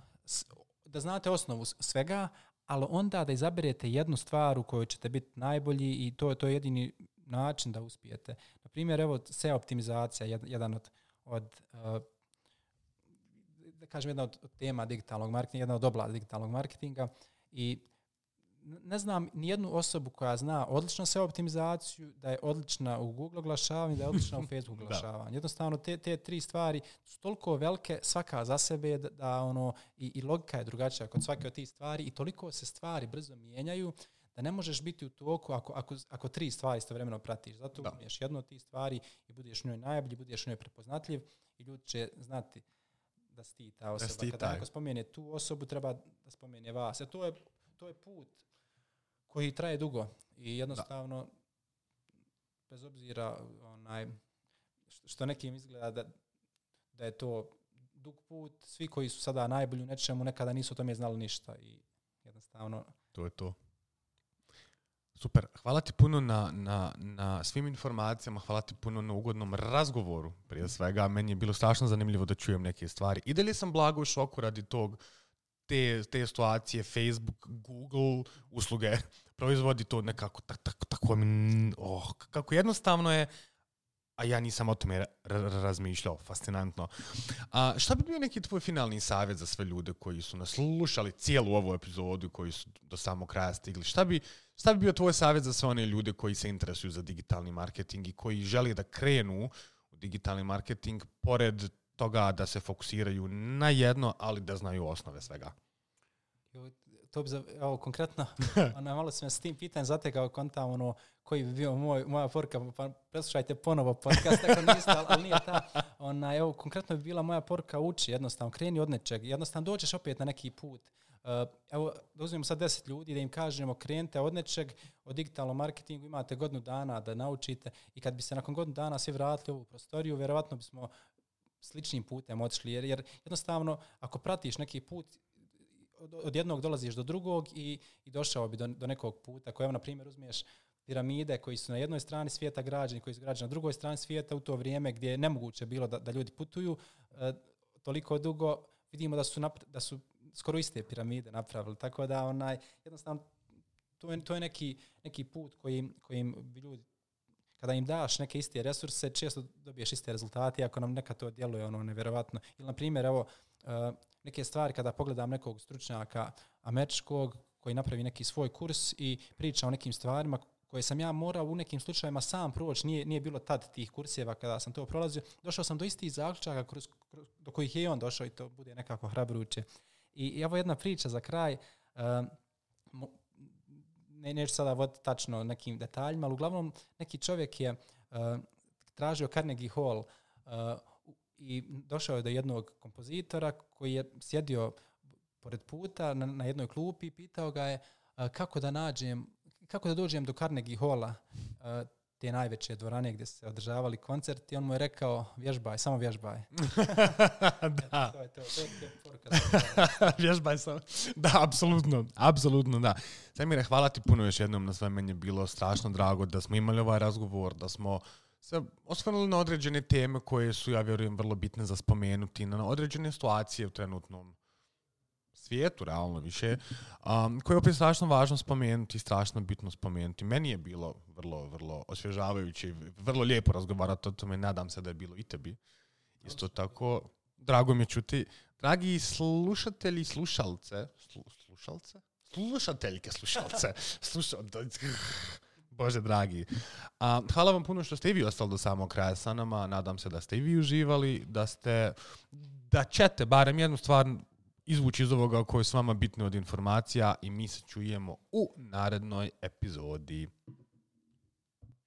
da znate osnovu svega, ali onda da izaberete jednu stvar u kojoj ćete biti najbolji i to je jedini način da uspijete. Na primjer, evo, SEO optimizacija, jedan od da kažem, jedna od tema digitalnog marketinga, jedna od oblasti digitalnog marketinga i ne znam nijednu osobu koja zna odlično SEO optimizaciju, da je odlična u Google oglašavanju, da je odlična u Facebook oglašavanju. Jednostavno, te 3 stvari su toliko velike, svaka za sebe, da i logika je drugačija kod svake od tih stvari i toliko se stvari brzo mijenjaju da ne možeš biti u toku ako 3 stvari istovremeno pratiš. Zato umiješ jednu od tih stvari i budeš u njoj najbolji, budeš u njoj prepoznatljiv i ljudi će znati da si ti ta osoba. Kada neko spomene tu osobu, treba da spomene vas. To je put koji traje dugo i jednostavno bez obzira što nekim izgleda da je to dug put, svi koji su sada najbolji u nečemu nekada nisu o tome znali ništa i jednostavno... To je to. Super, hvala ti puno na svim informacijama, hvala ti puno na ugodnom razgovoru prije svega. Meni je bilo strašno zanimljivo da čujem neke stvari. I dalje sam blago u šoku radi te situacije, Facebook, Google, usluge, proizvodi to nekako tako kako jednostavno je, a ja nisam o tome razmišljao, fascinantno. Šta bi bio neki tvoj finalni savjet za sve ljude koji su nas slušali cijelu ovu epizodu, koji su do samog kraja stigli? Šta bi bio tvoj savjet za sve one ljude koji se interesuju za digitalni marketing i koji žele da krenu u digitalni marketing, pored toga da se fokusiraju na jedno, ali da znaju osnove svega? To bi konkretno, malo sam s tim pitanjem zatekao kontam, koji bi bio moja poruka, pa preslušajte ponovo podcast, ako niste, ali nije ta. Konkretno bi bila moja poruka, uči jednostavno, kreni od nečeg, jednostavno dođeš opet na neki put. Da uzmemo sad 10 ljudi, da im kažemo krenite od nečeg, od digitalnom marketingu, imate godinu dana da naučite i kad bi se nakon godinu dana svi vratili u ovu prostoriju, vjerovatno bismo sličnim putem otišli, jer jednostavno ako pratiš neki put, od jednog dolaziš do drugog i došao bi do nekog puta. Ako na primjer uzmeš piramide koji su na jednoj strani svijeta građeni, koji su građeni na drugoj strani svijeta u to vrijeme gdje je nemoguće bilo da ljudi putuju toliko dugo, vidimo da su skoro iste piramide napravili. Tako da jednostavno to je neki put kojim bi ljudi, kada im daš neke iste resurse, često dobiješ iste rezultate, ako nam neka to djeluje nevjerovatno. Ili na primjer, neke stvari kada pogledam nekog stručnjaka američkog koji napravi neki svoj kurs i priča o nekim stvarima koje sam ja morao u nekim slučajevima sam proći, nije bilo tad tih kurseva kada sam to prolazio, došao sam do istih zaključaka do kojih je on došao i to bude nekako hrabruće. I evo jedna priča za kraj, neću sada voditi tačno nekim detaljima, ali uglavnom neki čovjek je tražio Carnegie Hall i došao je do jednog kompozitora koji je sjedio pored puta na jednoj klupi i pitao ga je kako da dođem do Carnegie Halla, te najveće dvorane gdje se održavali koncerti. On mu je rekao, vježbaj, samo vježbaj. Da. To je poruka. Vježbaj samo. Da, apsolutno, da. Samire, hvala ti puno još jednom na sve. Meni je bilo strašno drago da smo imali ovaj razgovor, da smo se osvrnuli na određene teme koje su, ja vjerujem, vrlo bitne za spomenuti, na određene situacije u trenutnom svijetu, realno više, koje je opet strašno važno spomenuti, strašno bitno spomenuti. Meni je bilo vrlo osvježavajuće i vrlo lijepo razgovarati o tome. Nadam se da je bilo i tebi. Isto tako, drago mi je čuti. Dragi slušatelji i slušalce, Bože dragi. Hvala vam puno što ste i vi ostali do samog kraja sa nama. Nadam se da ste i vi uživali, da ćete barem jednu stvar izvući iz ovoga koje je s vama bitno od informacija i mi se čujemo u narednoj epizodi.